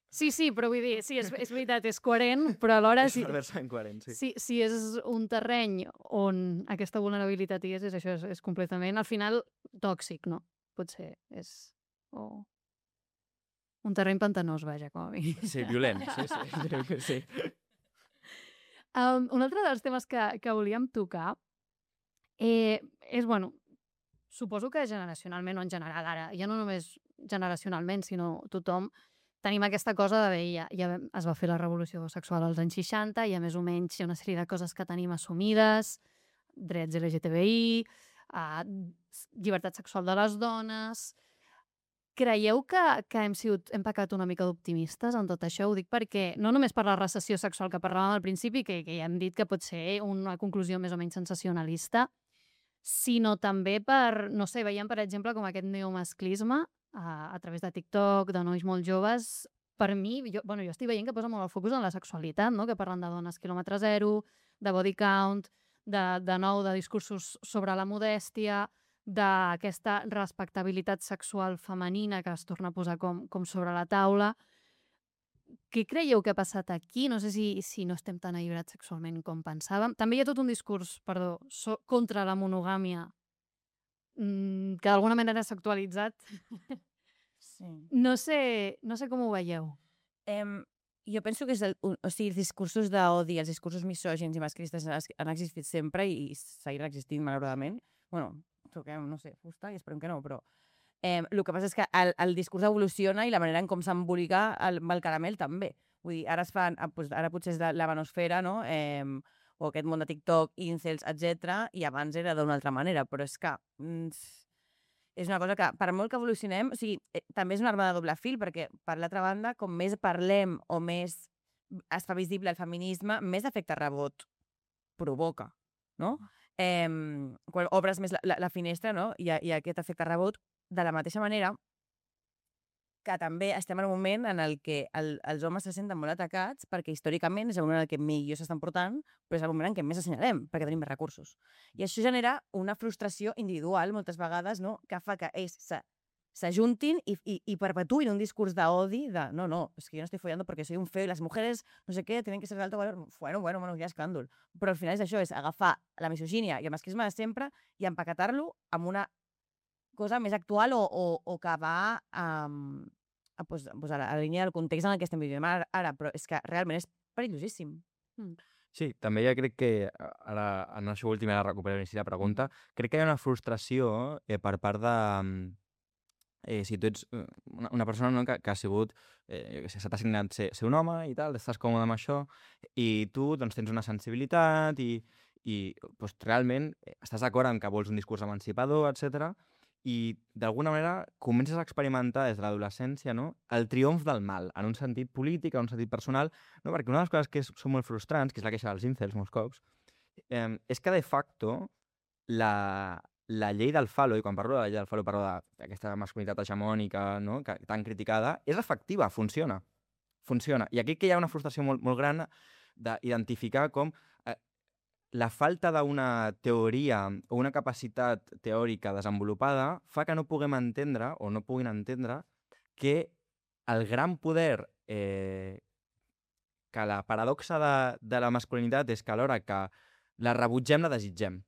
[SPEAKER 1] Sí, sí, però vull dir, sí, és, és veritat, és coherent, però alhora...
[SPEAKER 3] És
[SPEAKER 1] Si,
[SPEAKER 3] perversament coherent, sí.
[SPEAKER 1] si, si és un terreny on aquesta vulnerabilitat hi és, és això, és, és completament, al final, tòxic, no? Potser és... O... Un terreny pantanós, vaja, com a mi.
[SPEAKER 3] Sí, violent, sí, sí. sí.
[SPEAKER 1] Um, un altre dels temes que, que volíem tocar eh, és, bueno, suposo que generacionalment o en general, ara, ja no només generacionalment, sinó tothom, tenim aquesta cosa de bé, ja, ja es va fer la revolució sexual als anys seixanta, i a més o menys hi ha una sèrie de coses que tenim assumides, drets L G T B I, uh, llibertat sexual de les dones... Creieu que, que hem, sigut, hem pecat una mica d'optimistes en tot això? Ho dic perquè, no només per la recessió sexual que parlàvem al principi, que, que ja hem dit que pot ser una conclusió més o menys sensacionalista, sinó també per, no sé, veiem, per exemple, com aquest neomasclisme a, a través de TikTok, de nois molt joves, per mi, jo, bueno, jo estic veient que posa molt el focus en la sexualitat, no? Que parlen de dones quilòmetre zero, de body count, de, de nou, de discursos sobre la modèstia, d'aquesta respectabilitat sexual femenina que es torna a posar com, com sobre la taula. Què creieu que ha passat aquí? No sé si, si no estem tan alliberats sexualment com pensàvem. També hi ha tot un discurs, perdó, so, contra la monogàmia mmm, que d'alguna manera s'ha actualitzat.
[SPEAKER 2] Sí.
[SPEAKER 1] No sé, no sé com ho veieu.
[SPEAKER 2] Um, jo penso que és el, o sigui, els discursos d'odi, els discursos misògins i masclistes han existit sempre i seguiran existint, malauradament. Bueno, toquem, no sé, fusta i esperem que no, però eh, el que passa és que el, el discurs evoluciona i la manera en com s'embolica el, el caramel també. Vull dir, ara es fan, ara potser és de la manosfera, no? Eh, o aquest món de TikTok, incels, etcètera, i abans era d'una altra manera, però és que mm, és una cosa que, per molt que evolucionem, o sigui, eh, també és una arma de doble fil, perquè, per l'altra banda, com més parlem o més es fa visible el feminisme, més efecte rebot provoca, no? Eh, quan obres més la, la, la finestra, no? Hi ha, hi ha aquest efecte rebot. De la mateixa manera, que també estem en un moment en el que el, els homes se senten molt atacats perquè històricament és el moment en el que millor s'estan portant, però és el moment en què més assenyalem, perquè tenim més recursos. I això genera una frustració individual, moltes vegades, no?, que fa que ells s'ajuntin i, i, i perpetuïn un discurs d'odi de no, no, és que jo no estic follando perquè soy un feo i les mujeres, no sé què, tenen que ser d'alto valor. Bueno, bueno, bueno, ja escàndol. Però al final és això, és agafar la misogínia i el masclisme de sempre i empaquetar-lo amb una cosa més actual o, o, o que va um, a, pues, pues a, la, a la línia del context en el que estem vivint ara, ara, però és que realment és perillosíssim. Mm.
[SPEAKER 3] Sí, també ja crec que, ara, en això últim, ara recupero la pregunta, crec que hi ha una frustració eh, per part de... Eh, si tu ets una, una persona, no, que, que ha sigut, eh, se t'ha assignat ser, ser un home i tal, estàs còmode amb això, i tu doncs, tens una sensibilitat i, i doncs, realment estàs d'acord en que vols un discurs emancipador, etcètera, i d'alguna manera comences a experimentar des de l'adolescència, no?, el triomf del mal, en un sentit polític, en un sentit personal, no? Perquè una de les coses que és, són molt frustrants, que és la queixa dels incels molts cops, eh, és que de facto la, la llei del falo, i quan parlo de la llei del falo parlo d'aquesta masculinitat hegemònica, no?, que, tan criticada, és efectiva, funciona. Funciona. I aquí que hi ha una frustració molt, molt gran d'identificar com eh, la falta d'una teoria o una capacitat teòrica desenvolupada fa que no puguem entendre o no puguin entendre que el gran poder, eh, que la paradoxa de, de la masculinitat és que alhora que la rebutgem, la desitgem.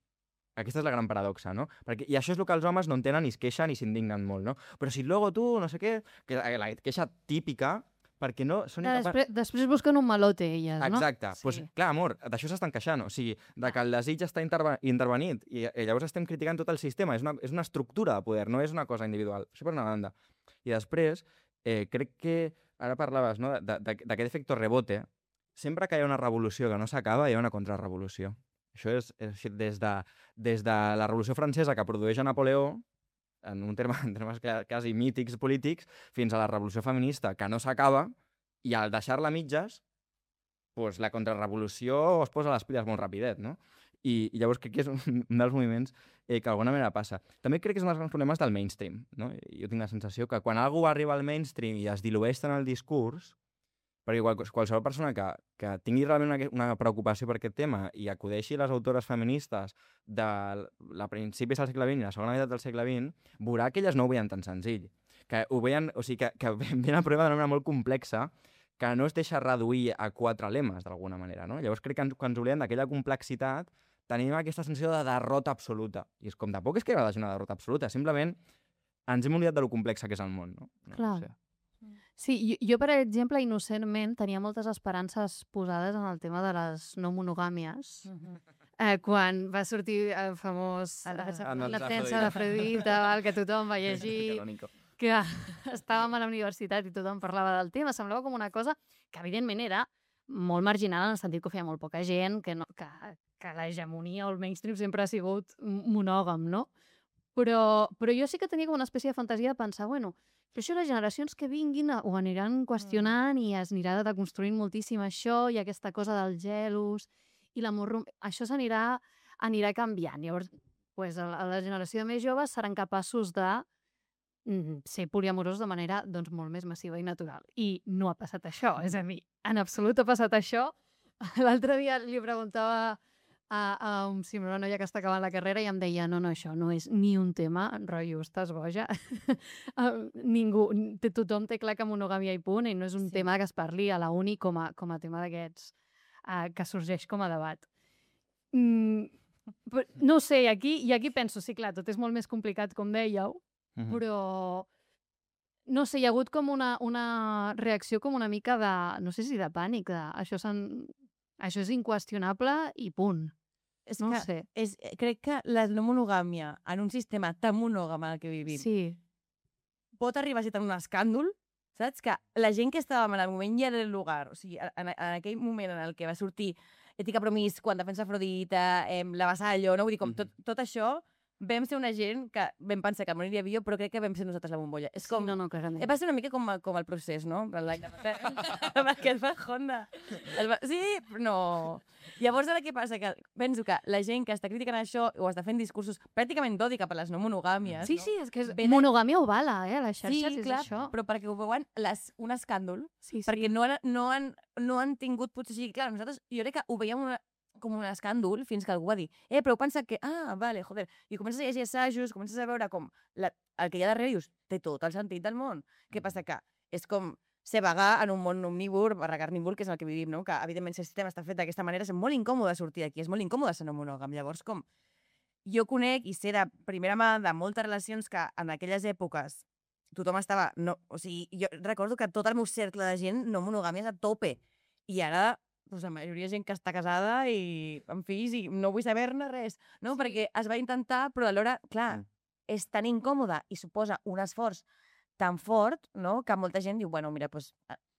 [SPEAKER 3] Aquesta és la gran paradoxa, no? Perquè, i això és el que els homes no entenen i es queixen i s'indignen molt, no? Però si luego tu, no sé què, que la queixa típica, perquè no són
[SPEAKER 1] incapaços... Després, després busquen un malote, elles, no?
[SPEAKER 3] Exacte. Doncs, sí. Pues, clar, amor, d'això s'estan queixant. O sigui, de que el desig està interve intervenit i, i llavors estem criticant tot el sistema. És una, és una estructura de poder, no és una cosa individual. Això per una banda. I després, eh, crec que, ara parlaves, no?, d'aquest efecte rebote. Sempre que hi ha una revolució que no s'acaba, hi ha una contrarrevolució. Això és, és des, de, des de la Revolució Francesa que produeix a Napoleó, en, un terme, en termes quasi mítics polítics, fins a la Revolució Feminista, que no s'acaba, i al deixar-la a mitges, pues, la contrarrevolució es posa les piles molt rapidet, no? I, i llavors crec que és un, un dels moviments eh, que d'alguna manera passa. També crec que és un dels grans problemes del mainstream, no? Jo tinc la sensació que quan algú arriba al mainstream i es dilueix tant el discurs, perquè qual, qualsevol persona que, que tingui realment una, una preocupació per aquest tema i acudeixi a les autores feministes de la principis del segle vint i la segona meitat del segle vint, veurà que elles no ho veien tan senzill. Que ho veien, o sigui, que, que ven el problema d'una manera molt complexa que no es deixa reduir a quatre lemes, d'alguna manera, no? Llavors crec que ens, quan ens oblidem d'aquella complexitat tenim aquesta sensació de derrota absoluta. I és com, tampoc és que hagi una derrota absoluta, simplement ens hem oblidat de lo complexa que és el món, no?
[SPEAKER 1] Clar.
[SPEAKER 3] No sé.
[SPEAKER 1] Sí, jo, jo, per exemple, innocentment, tenia moltes esperances posades en el tema de les no monogàmies. Uh-huh. eh, quan va sortir el famós
[SPEAKER 2] el defensa,
[SPEAKER 1] eh, la defensa d'Afrodita, que tothom va llegir, que estàvem a la universitat i tothom parlava del tema, semblava com una cosa que evidentment era molt marginal en el sentit que ho feia molt poca gent, que, no, que, que l'hegemonia o el mainstream sempre ha sigut monògam, no? Però, però jo sí que tenia com una espècie de fantasia de pensar, bueno, però això les generacions que vinguin ho aniran qüestionant mm. i es anirà deconstruint moltíssim això i aquesta cosa del gelos i l'amor... Això s'anirà anirà canviant. Llavors, pues, a la generació més joves seran capaços de mm, ser poliamorosos de manera doncs, molt més massiva i natural. I no ha passat això. És a dir, en absolut ha passat això. L'altre dia li preguntava a, a un, sí, una noia que està acabant la carrera i em deia, no, no, això no és ni un tema, rotllo, estàs boja. Ningú, tothom té clar que monogàmia i punt, i no és un sí. tema que es parli a la uni com a, com a tema d'aquests uh, que sorgeix com a debat. Mm, però, no sé, aquí, i aquí penso, sí, clar, tot és molt més complicat, com dèieu, uh-huh. però no sé, hi ha hagut com una, una reacció com una mica de, no sé si de pànic, de, això, això és inqüestionable i punt.
[SPEAKER 2] És
[SPEAKER 1] no
[SPEAKER 2] que
[SPEAKER 1] sé.
[SPEAKER 2] És, crec que la no monogàmia en un sistema tan monògam en el que vivim
[SPEAKER 1] sí.
[SPEAKER 2] pot arribar a ser tan un escàndol, saps? Que la gent que estàvem en el moment i en el lugar, o sigui, en, en aquell moment en el que va sortir Ètica Promis, quan defensa Afrodita, eh, la Vassallo, no? Vull dir, com tot, tot això vam ser una gent que vam pensar que moriria millor, però crec que vam ser nosaltres la bombolla. És com...
[SPEAKER 1] Sí, no, no, clarament.
[SPEAKER 2] Eh, va ser una mica com, com el procés, no? L'any de... amb el que es va Honda. Es va... Sí, però no. Llavors, ara què passa? Que penso que la gent que està criticant això o està fent discursos pràcticament d'odi cap a les no monogàmies...
[SPEAKER 1] Sí,
[SPEAKER 2] no?
[SPEAKER 1] sí, és que és...
[SPEAKER 2] Ve de-
[SPEAKER 1] monogàmia ovala, eh, a les
[SPEAKER 2] Sí,
[SPEAKER 1] xarxes,
[SPEAKER 2] clar,
[SPEAKER 1] és això.
[SPEAKER 2] però perquè ho veuen les, un escàndol,
[SPEAKER 1] Sí, sí.
[SPEAKER 2] perquè no han, no han, no han tingut, potser sí, clar, nosaltres, jo crec que ho veiem una, com un escàndol fins que algú va dir, eh, però heu pensat que, ah, vale, joder, i comences a llegir assajos, comences a veure com la, el que hi ha darrere i dius, té tot el sentit del món. Què passa? Que és com ser vegà en un món omnívor, barra carnívor, que és el que vivim, no? Que, evidentment, si el sistema està fet d'aquesta manera, és molt incòmode sortir d'aquí, és molt incòmode ser no monògam. Llavors, com jo conec i sé de primera mà de moltes relacions que en aquelles èpoques tothom estava... No, o sigui, jo recordo que tot el meu cercle de gent no monogàmies a tope. I ara, doncs, la majoria de gent que està casada i amb fills i no vull saber-ne res, no? Sí. Perquè es va intentar, però alhora, clar, és tan incòmode i suposa un esforç tan fort, no?, que molta gent diu, bueno, mira, doncs,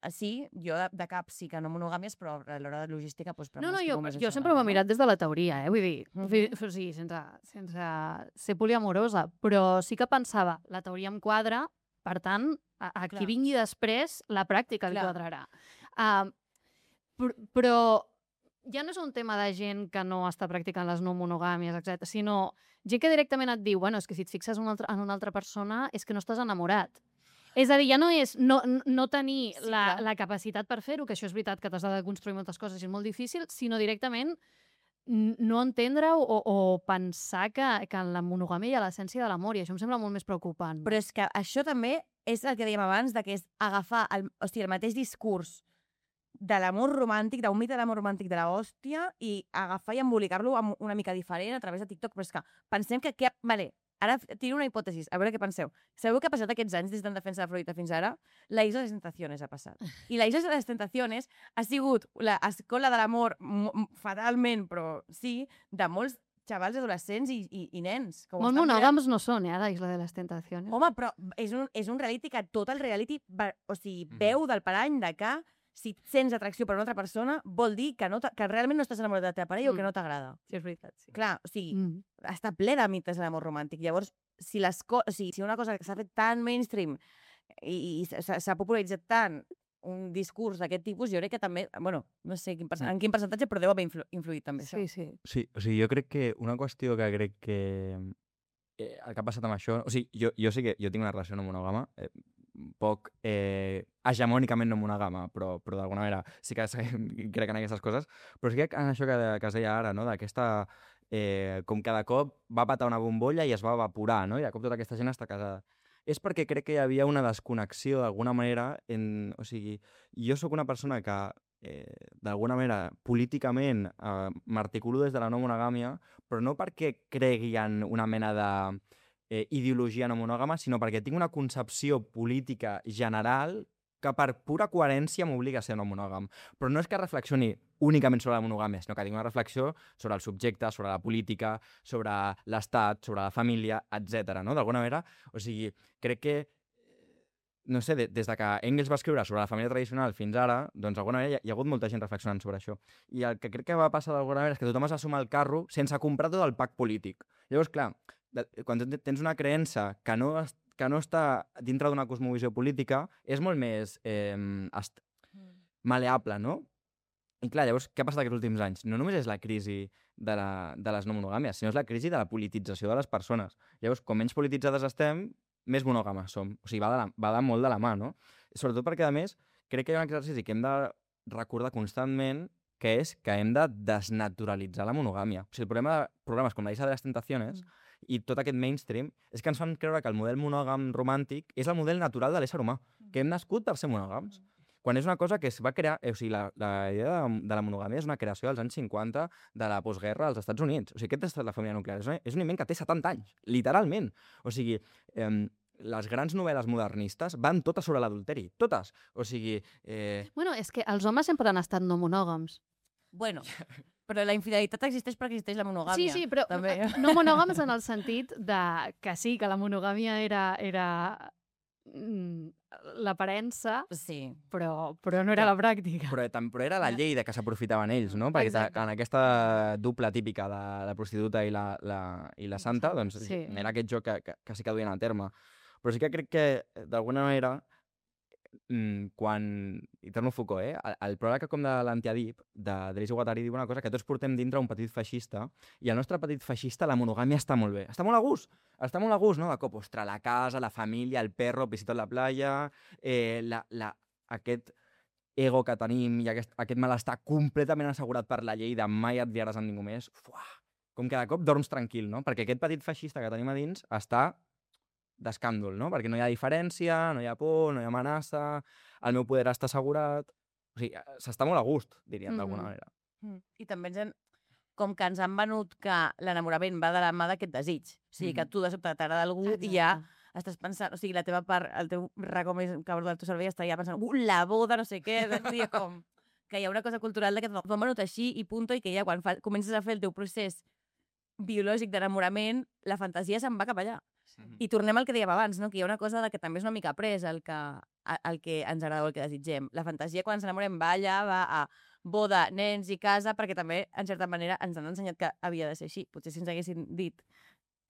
[SPEAKER 2] sí, jo de, de cap sí que no monogàmies, però a l'hora de logística, doncs...
[SPEAKER 1] No, no, jo, jo sempre ho he mirat des de la teoria, eh? Vull dir,
[SPEAKER 2] Mhm.
[SPEAKER 1] o sigui, sense, sense ser poliamorosa, però sí que pensava, la teoria em quadra, per tant, a, a qui
[SPEAKER 2] Clar.
[SPEAKER 1] vingui després, la pràctica li
[SPEAKER 2] Clar.
[SPEAKER 1] quadrarà. Uh, pr però ja no és un tema de gent que no està practicant les no monogàmies, etcètera, sinó gent que directament et diu, bueno, és que si et fixes en una altra, en una altra persona és que no estàs enamorat. És a dir, ja no és no, no tenir
[SPEAKER 2] Sí,
[SPEAKER 1] la,
[SPEAKER 2] clar.
[SPEAKER 1] la capacitat per fer-ho, que això és veritat que t'has de construir moltes coses i és molt difícil, sinó directament n- no entendre o, o pensar que, que en la monogàmia hi ha l'essència de l'amor, i això em sembla molt més preocupant.
[SPEAKER 2] Però és que això també és el que dèiem abans, de que és agafar el, o sigui, el mateix discurs de l'amor romàntic, d'un mite de l'amor romàntic de l'hòstia, i agafar i embolicar-lo amb una mica diferent a través de TikTok. Però és que pensem que... que vale, ara tiro una hipòtesi, a veure què penseu. Sabeu què ha passat aquests anys des d'en defensa de Freud fins ara? La Isla de les Tentaciones ha passat. I la Isla de les Tentaciones ha sigut l'escola de l'amor, m- m- fatalment, però sí, de molts xavals adolescents i, i, i nens. Que ho
[SPEAKER 1] Molt
[SPEAKER 2] estan mirant.
[SPEAKER 1] monògams no són, eh, a la Isla de les Tentaciones.
[SPEAKER 2] Home, però és un, és un reality que tot el reality, va, o sigui,
[SPEAKER 3] Mhm.
[SPEAKER 2] veu del parany de que si sents atracció per una altra persona vol dir que, no t'ha- que realment no estàs enamorat de la teva parella
[SPEAKER 1] Mm.
[SPEAKER 2] o que no t'agrada.
[SPEAKER 1] Sí, és veritat, sí.
[SPEAKER 2] Clar, o sigui,
[SPEAKER 1] Mm.
[SPEAKER 2] està ple de mites de l'amor romàntic. Llavors, si, les co o sigui, si una cosa que s'ha fet tan mainstream i, i s'ha s'ha popularitzat tant un discurs d'aquest tipus, jo crec que també, bueno, no sé quin percent, en quin percentatge, però deu haver influ influït també això.
[SPEAKER 1] Sí, sí.
[SPEAKER 3] Sí, o sigui, jo crec que una qüestió que crec que eh, el que ha passat amb això... O sigui, jo, jo sí que jo tinc una relació no monògama, eh, poc eh, hegemònicament no monògama, però, però d'alguna manera sí que crec en aquestes coses, però sí que en això que, que es deia ara, no? D'aquesta... Eh, com cada cop va patar una bombolla i es va evaporar, no? I de cop tota aquesta gent està casada. És perquè crec que hi havia una desconnexió d'alguna manera, en, o sigui, jo sóc una persona que eh, d'alguna manera políticament eh, m'articulo des de la no monogàmia, però no perquè cregui en una mena de eh, ideologia no monògama, sinó perquè tinc una concepció política general que per pura coherència m'obliga a ser no monògam. Però no és que reflexioni únicament sobre la monogàmia, sinó que tinc una reflexió sobre el subjecte, sobre la política, sobre l'estat, sobre la família, etcètera. No? D'alguna manera, o sigui, crec que no sé, de, des de que Engels va escriure sobre la família tradicional fins ara, doncs d'alguna manera hi ha, hi ha hagut molta gent reflexionant sobre això. I el que crec que va passar d'alguna manera és que tothom es va sumar al carro sense comprar tot el pack polític. Llavors, clar, de, quan tens una creença que no, es, que no està dintre d'una cosmovisió política, és molt més eh, est, maleable, no? I clar, llavors, què ha passat aquests últims anys? No només és la crisi de, la, de les no monogàmies, sinó és la crisi de la politització de les persones. Llavors, com menys polititzades estem, més monògames som. O sigui, va de, la, va de molt de la mà, no? Sobretot perquè, a més, crec que hi ha un exercici que hem de recordar constantment, que és que hem de desnaturalitzar la monogàmia. O sigui, el problema de programes com la Isla de les Tentaciones mm. i tot aquest mainstream és que ens fan creure que el model monògam romàntic és el model natural de l'ésser humà, que hem nascut per ser monògams. Quan és una cosa que es va crear... Eh, o sigui, la, la idea de, de la monogàmia és una creació dels anys cinquanta de la postguerra als Estats Units. O sigui, aquest és la família nuclear. És un, és un invent que té setanta anys, literalment. O sigui, eh, les grans novel·les modernistes van totes sobre l'adulteri. Totes. O sigui... Eh...
[SPEAKER 1] Bueno, és que els homes sempre han estat no monògams.
[SPEAKER 2] Bueno, però la infidelitat existeix perquè existeix la monogàmia.
[SPEAKER 1] Sí, sí, però
[SPEAKER 2] també.
[SPEAKER 1] no monògams en el sentit de que sí, que la monogàmia era... era l'aparença,
[SPEAKER 2] Sí.
[SPEAKER 1] però, però no era la pràctica.
[SPEAKER 3] Però, però era la llei de que s'aprofitaven ells, no? Perquè
[SPEAKER 1] Exacte.
[SPEAKER 3] en aquesta dupla típica de la prostituta i la, la, i la santa, doncs
[SPEAKER 1] Sí.
[SPEAKER 3] era aquest joc que, que, que sí que duien a terme. Però sí que crec que, d'alguna manera, quan... I torno a Foucault, eh? El, el pròleg com de l'Antiadip, de Deleuze i Guattari, diu una cosa, que tots portem dintre un petit feixista, i el nostre petit feixista, la monogàmia està molt bé. Està molt a gust. Està molt a gust, no? De cop, ostres, la casa, la família, el perro, visita la playa, eh, la, la, aquest ego que tenim i aquest, aquest malestar completament assegurat per la llei de mai et liaràs amb ningú més. Fuà! Com que de cop dorms tranquil, no? Perquè aquest petit feixista que tenim a dins està d'escàndol, no? Perquè no hi ha diferència, no hi ha por, no hi ha amenaça, el meu poder està assegurat... O sigui, s'està molt a gust, diríem, d'alguna manera.
[SPEAKER 2] Mm. I també ens han... com que ens han venut que l'enamorament va de la mà d'aquest desig. O sigui, que tu de sobte t'agrada algú i ja estàs pensant... O sigui, la teva part, el teu racó més cabró del teu cervell està ja pensant uh, la boda, no sé què, i com... que hi ha una cosa cultural de que t'ho han venut així i punto, i que ja quan fa... comences a fer el teu procés biològic d'enamorament, la fantasia se'n va cap allà. I tornem al que dèiem abans, no? Que hi ha una cosa de que també és una mica pres el que, el que ens agrada o el que desitgem. La fantasia, quan ens enamorem, va allà, va a boda, nens i casa, perquè també, en certa manera, ens han ensenyat que havia de ser així. Potser si ens haguessin dit,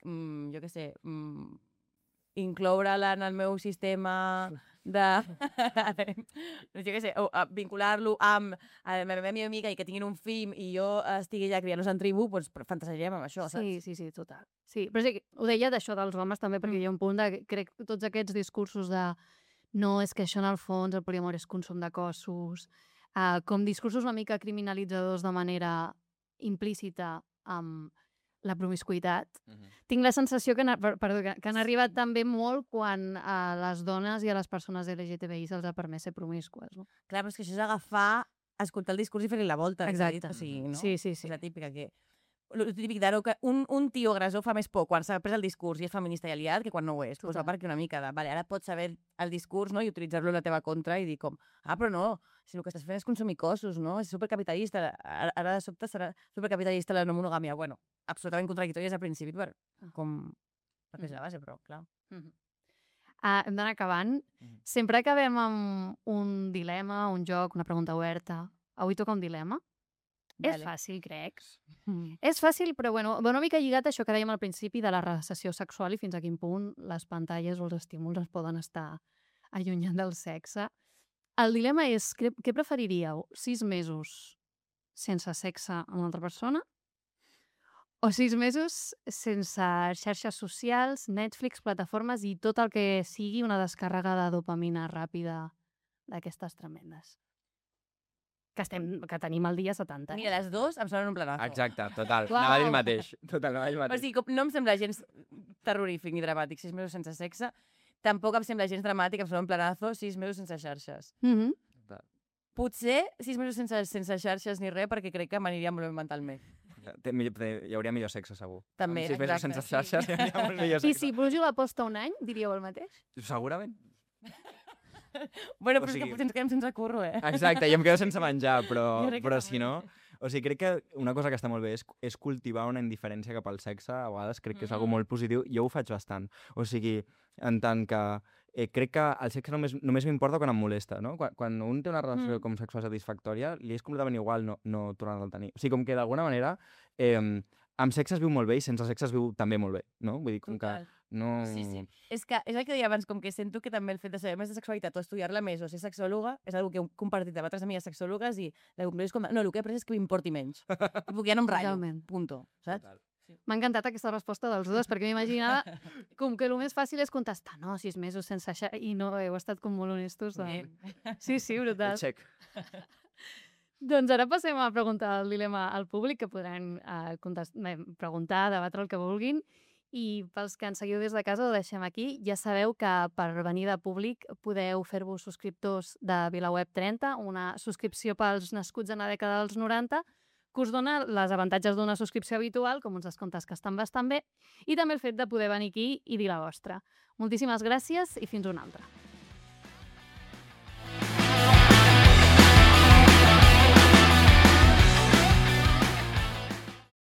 [SPEAKER 2] mm, jo què sé, mm, incloure-la en el meu sistema de... no sé què sé, vincular-lo amb la meva millor amiga i que tinguin un fill i jo estigui ja criant-los en tribu, doncs fantasejaríem amb això, saps?
[SPEAKER 1] Sí, sí, sí, total. Sí, però sí, ho deia d'això dels homes també, perquè mm. hi ha un punt de, crec, tots aquests discursos de no, és que això en el fons, el poliamor és consum de cossos, uh, com discursos una mica criminalitzadors de manera implícita amb la promiscuïtat. Uh-huh. Tinc la sensació que, perdó, que, que han arribat també molt quan a les dones i a les persones L G T B I se'ls ha permès ser promiscues. No?
[SPEAKER 2] Clar, però és que això és agafar, escoltar el discurs i fer-li la volta.
[SPEAKER 1] Exacte.
[SPEAKER 2] O sigui, no?
[SPEAKER 1] Sí, sí, sí.
[SPEAKER 2] És la típica que... El típic d'aro que un, un tio agressor fa més por quan s'ha pres el discurs i és feminista i aliat que quan no ho és. Pues va perquè una mica de, vale, ara pots saber el discurs, no?, i utilitzar-lo en la teva contra i dir com, ah, però no, si el que estàs fent és consumir cossos, no? És supercapitalista, ara, ara de sobte serà supercapitalista la no monogàmia. Bueno, absolutament contradictòries al principi per, com, perquè és la base, però clar.
[SPEAKER 1] Mm-hmm. Uh, hem d'anar acabant. Mm-hmm. Sempre acabem amb un dilema, un joc, una pregunta oberta. Avui toca un dilema. Vale. És fàcil, crec. Mm. És fàcil, però bueno, va una mica lligat a això que dèiem al principi de la recessió sexual i fins a quin punt les pantalles o els estímuls ens poden estar allunyant del sexe. El dilema és, què, què preferiríeu? Sis mesos sense sexe amb una altra persona? O sis mesos sense xarxes socials, Netflix, plataformes i tot el que sigui una descàrrega de dopamina ràpida d'aquestes tremendes? Que, estem, que tenim el dia setanta.
[SPEAKER 2] Mira, les dues em sonen un planazo.
[SPEAKER 3] Exacte, total. Wow. Anava a dir el mateix. Total, anava a dir el mateix.
[SPEAKER 2] O sigui, no em sembla gens terrorífic ni dramàtic sis mesos sense sexe. Tampoc em sembla gens dramàtic, em sembla un planazo sis mesos sense xarxes.
[SPEAKER 1] Mm-hmm.
[SPEAKER 2] Potser sis mesos sense, sense xarxes ni res, perquè crec que m'aniria molt bé mentalment.
[SPEAKER 3] Hi hauria millor sexe, segur.
[SPEAKER 2] També,
[SPEAKER 3] sis mesos sense xarxes sí. Hi hauria molt millor sexe.
[SPEAKER 1] I si Brujo l'aposta un any, diríeu el mateix?
[SPEAKER 3] Segurament.
[SPEAKER 2] Bueno, però o sigui... és que potser ens quedem sense curro, eh?
[SPEAKER 3] Exacte, i em quedo sense menjar, però, però si no... O sigui, crec que una cosa que està molt bé és, és cultivar una indiferència cap al sexe. A vegades crec que és algo molt positiu. Jo ho faig bastant. O sigui, en tant que eh, crec que el sexe només, només m'importa quan em molesta, no? Quan, quan un té una relació mm. com sexual satisfactòria, li és completament igual no, no tornar-la a tenir. O sigui, com que d'alguna manera eh, amb sexe es viu molt bé i sense sexe es viu també molt bé, no? Vull dir, com
[SPEAKER 2] Total.
[SPEAKER 3] que... No...
[SPEAKER 2] Sí, sí. És que és el que deia abans, com que sento que també el fet de saber més de sexualitat o estudiar-la més o ser sexòloga és una que he compartit amb altres amigues sexòlogues i la conclusió és com, no, el que he après és que m'importi menys. Puc ja no em ratllo, punto, saps?
[SPEAKER 1] Sí. M'ha encantat aquesta resposta dels dos, perquè m'imaginava com que el més fàcil és contestar, no, sis mesos sense això, i no, heu estat com molt honestos. De... Sí, sí, brutal.
[SPEAKER 3] Check.
[SPEAKER 1] Doncs ara passem a preguntar el dilema al públic, que podran eh, contestar, preguntar, debatre el que vulguin. I pels que ens seguiu des de casa, ho deixem aquí. Ja sabeu que per venir de públic podeu fer-vos subscriptors de VilaWeb trenta, una subscripció pels nascuts en la dècada dels noranta, que us dona les avantatges d'una subscripció habitual, com uns descomptes que estan bastant bé, i també el fet de poder venir aquí i dir la vostra. Moltíssimes gràcies i fins una altra.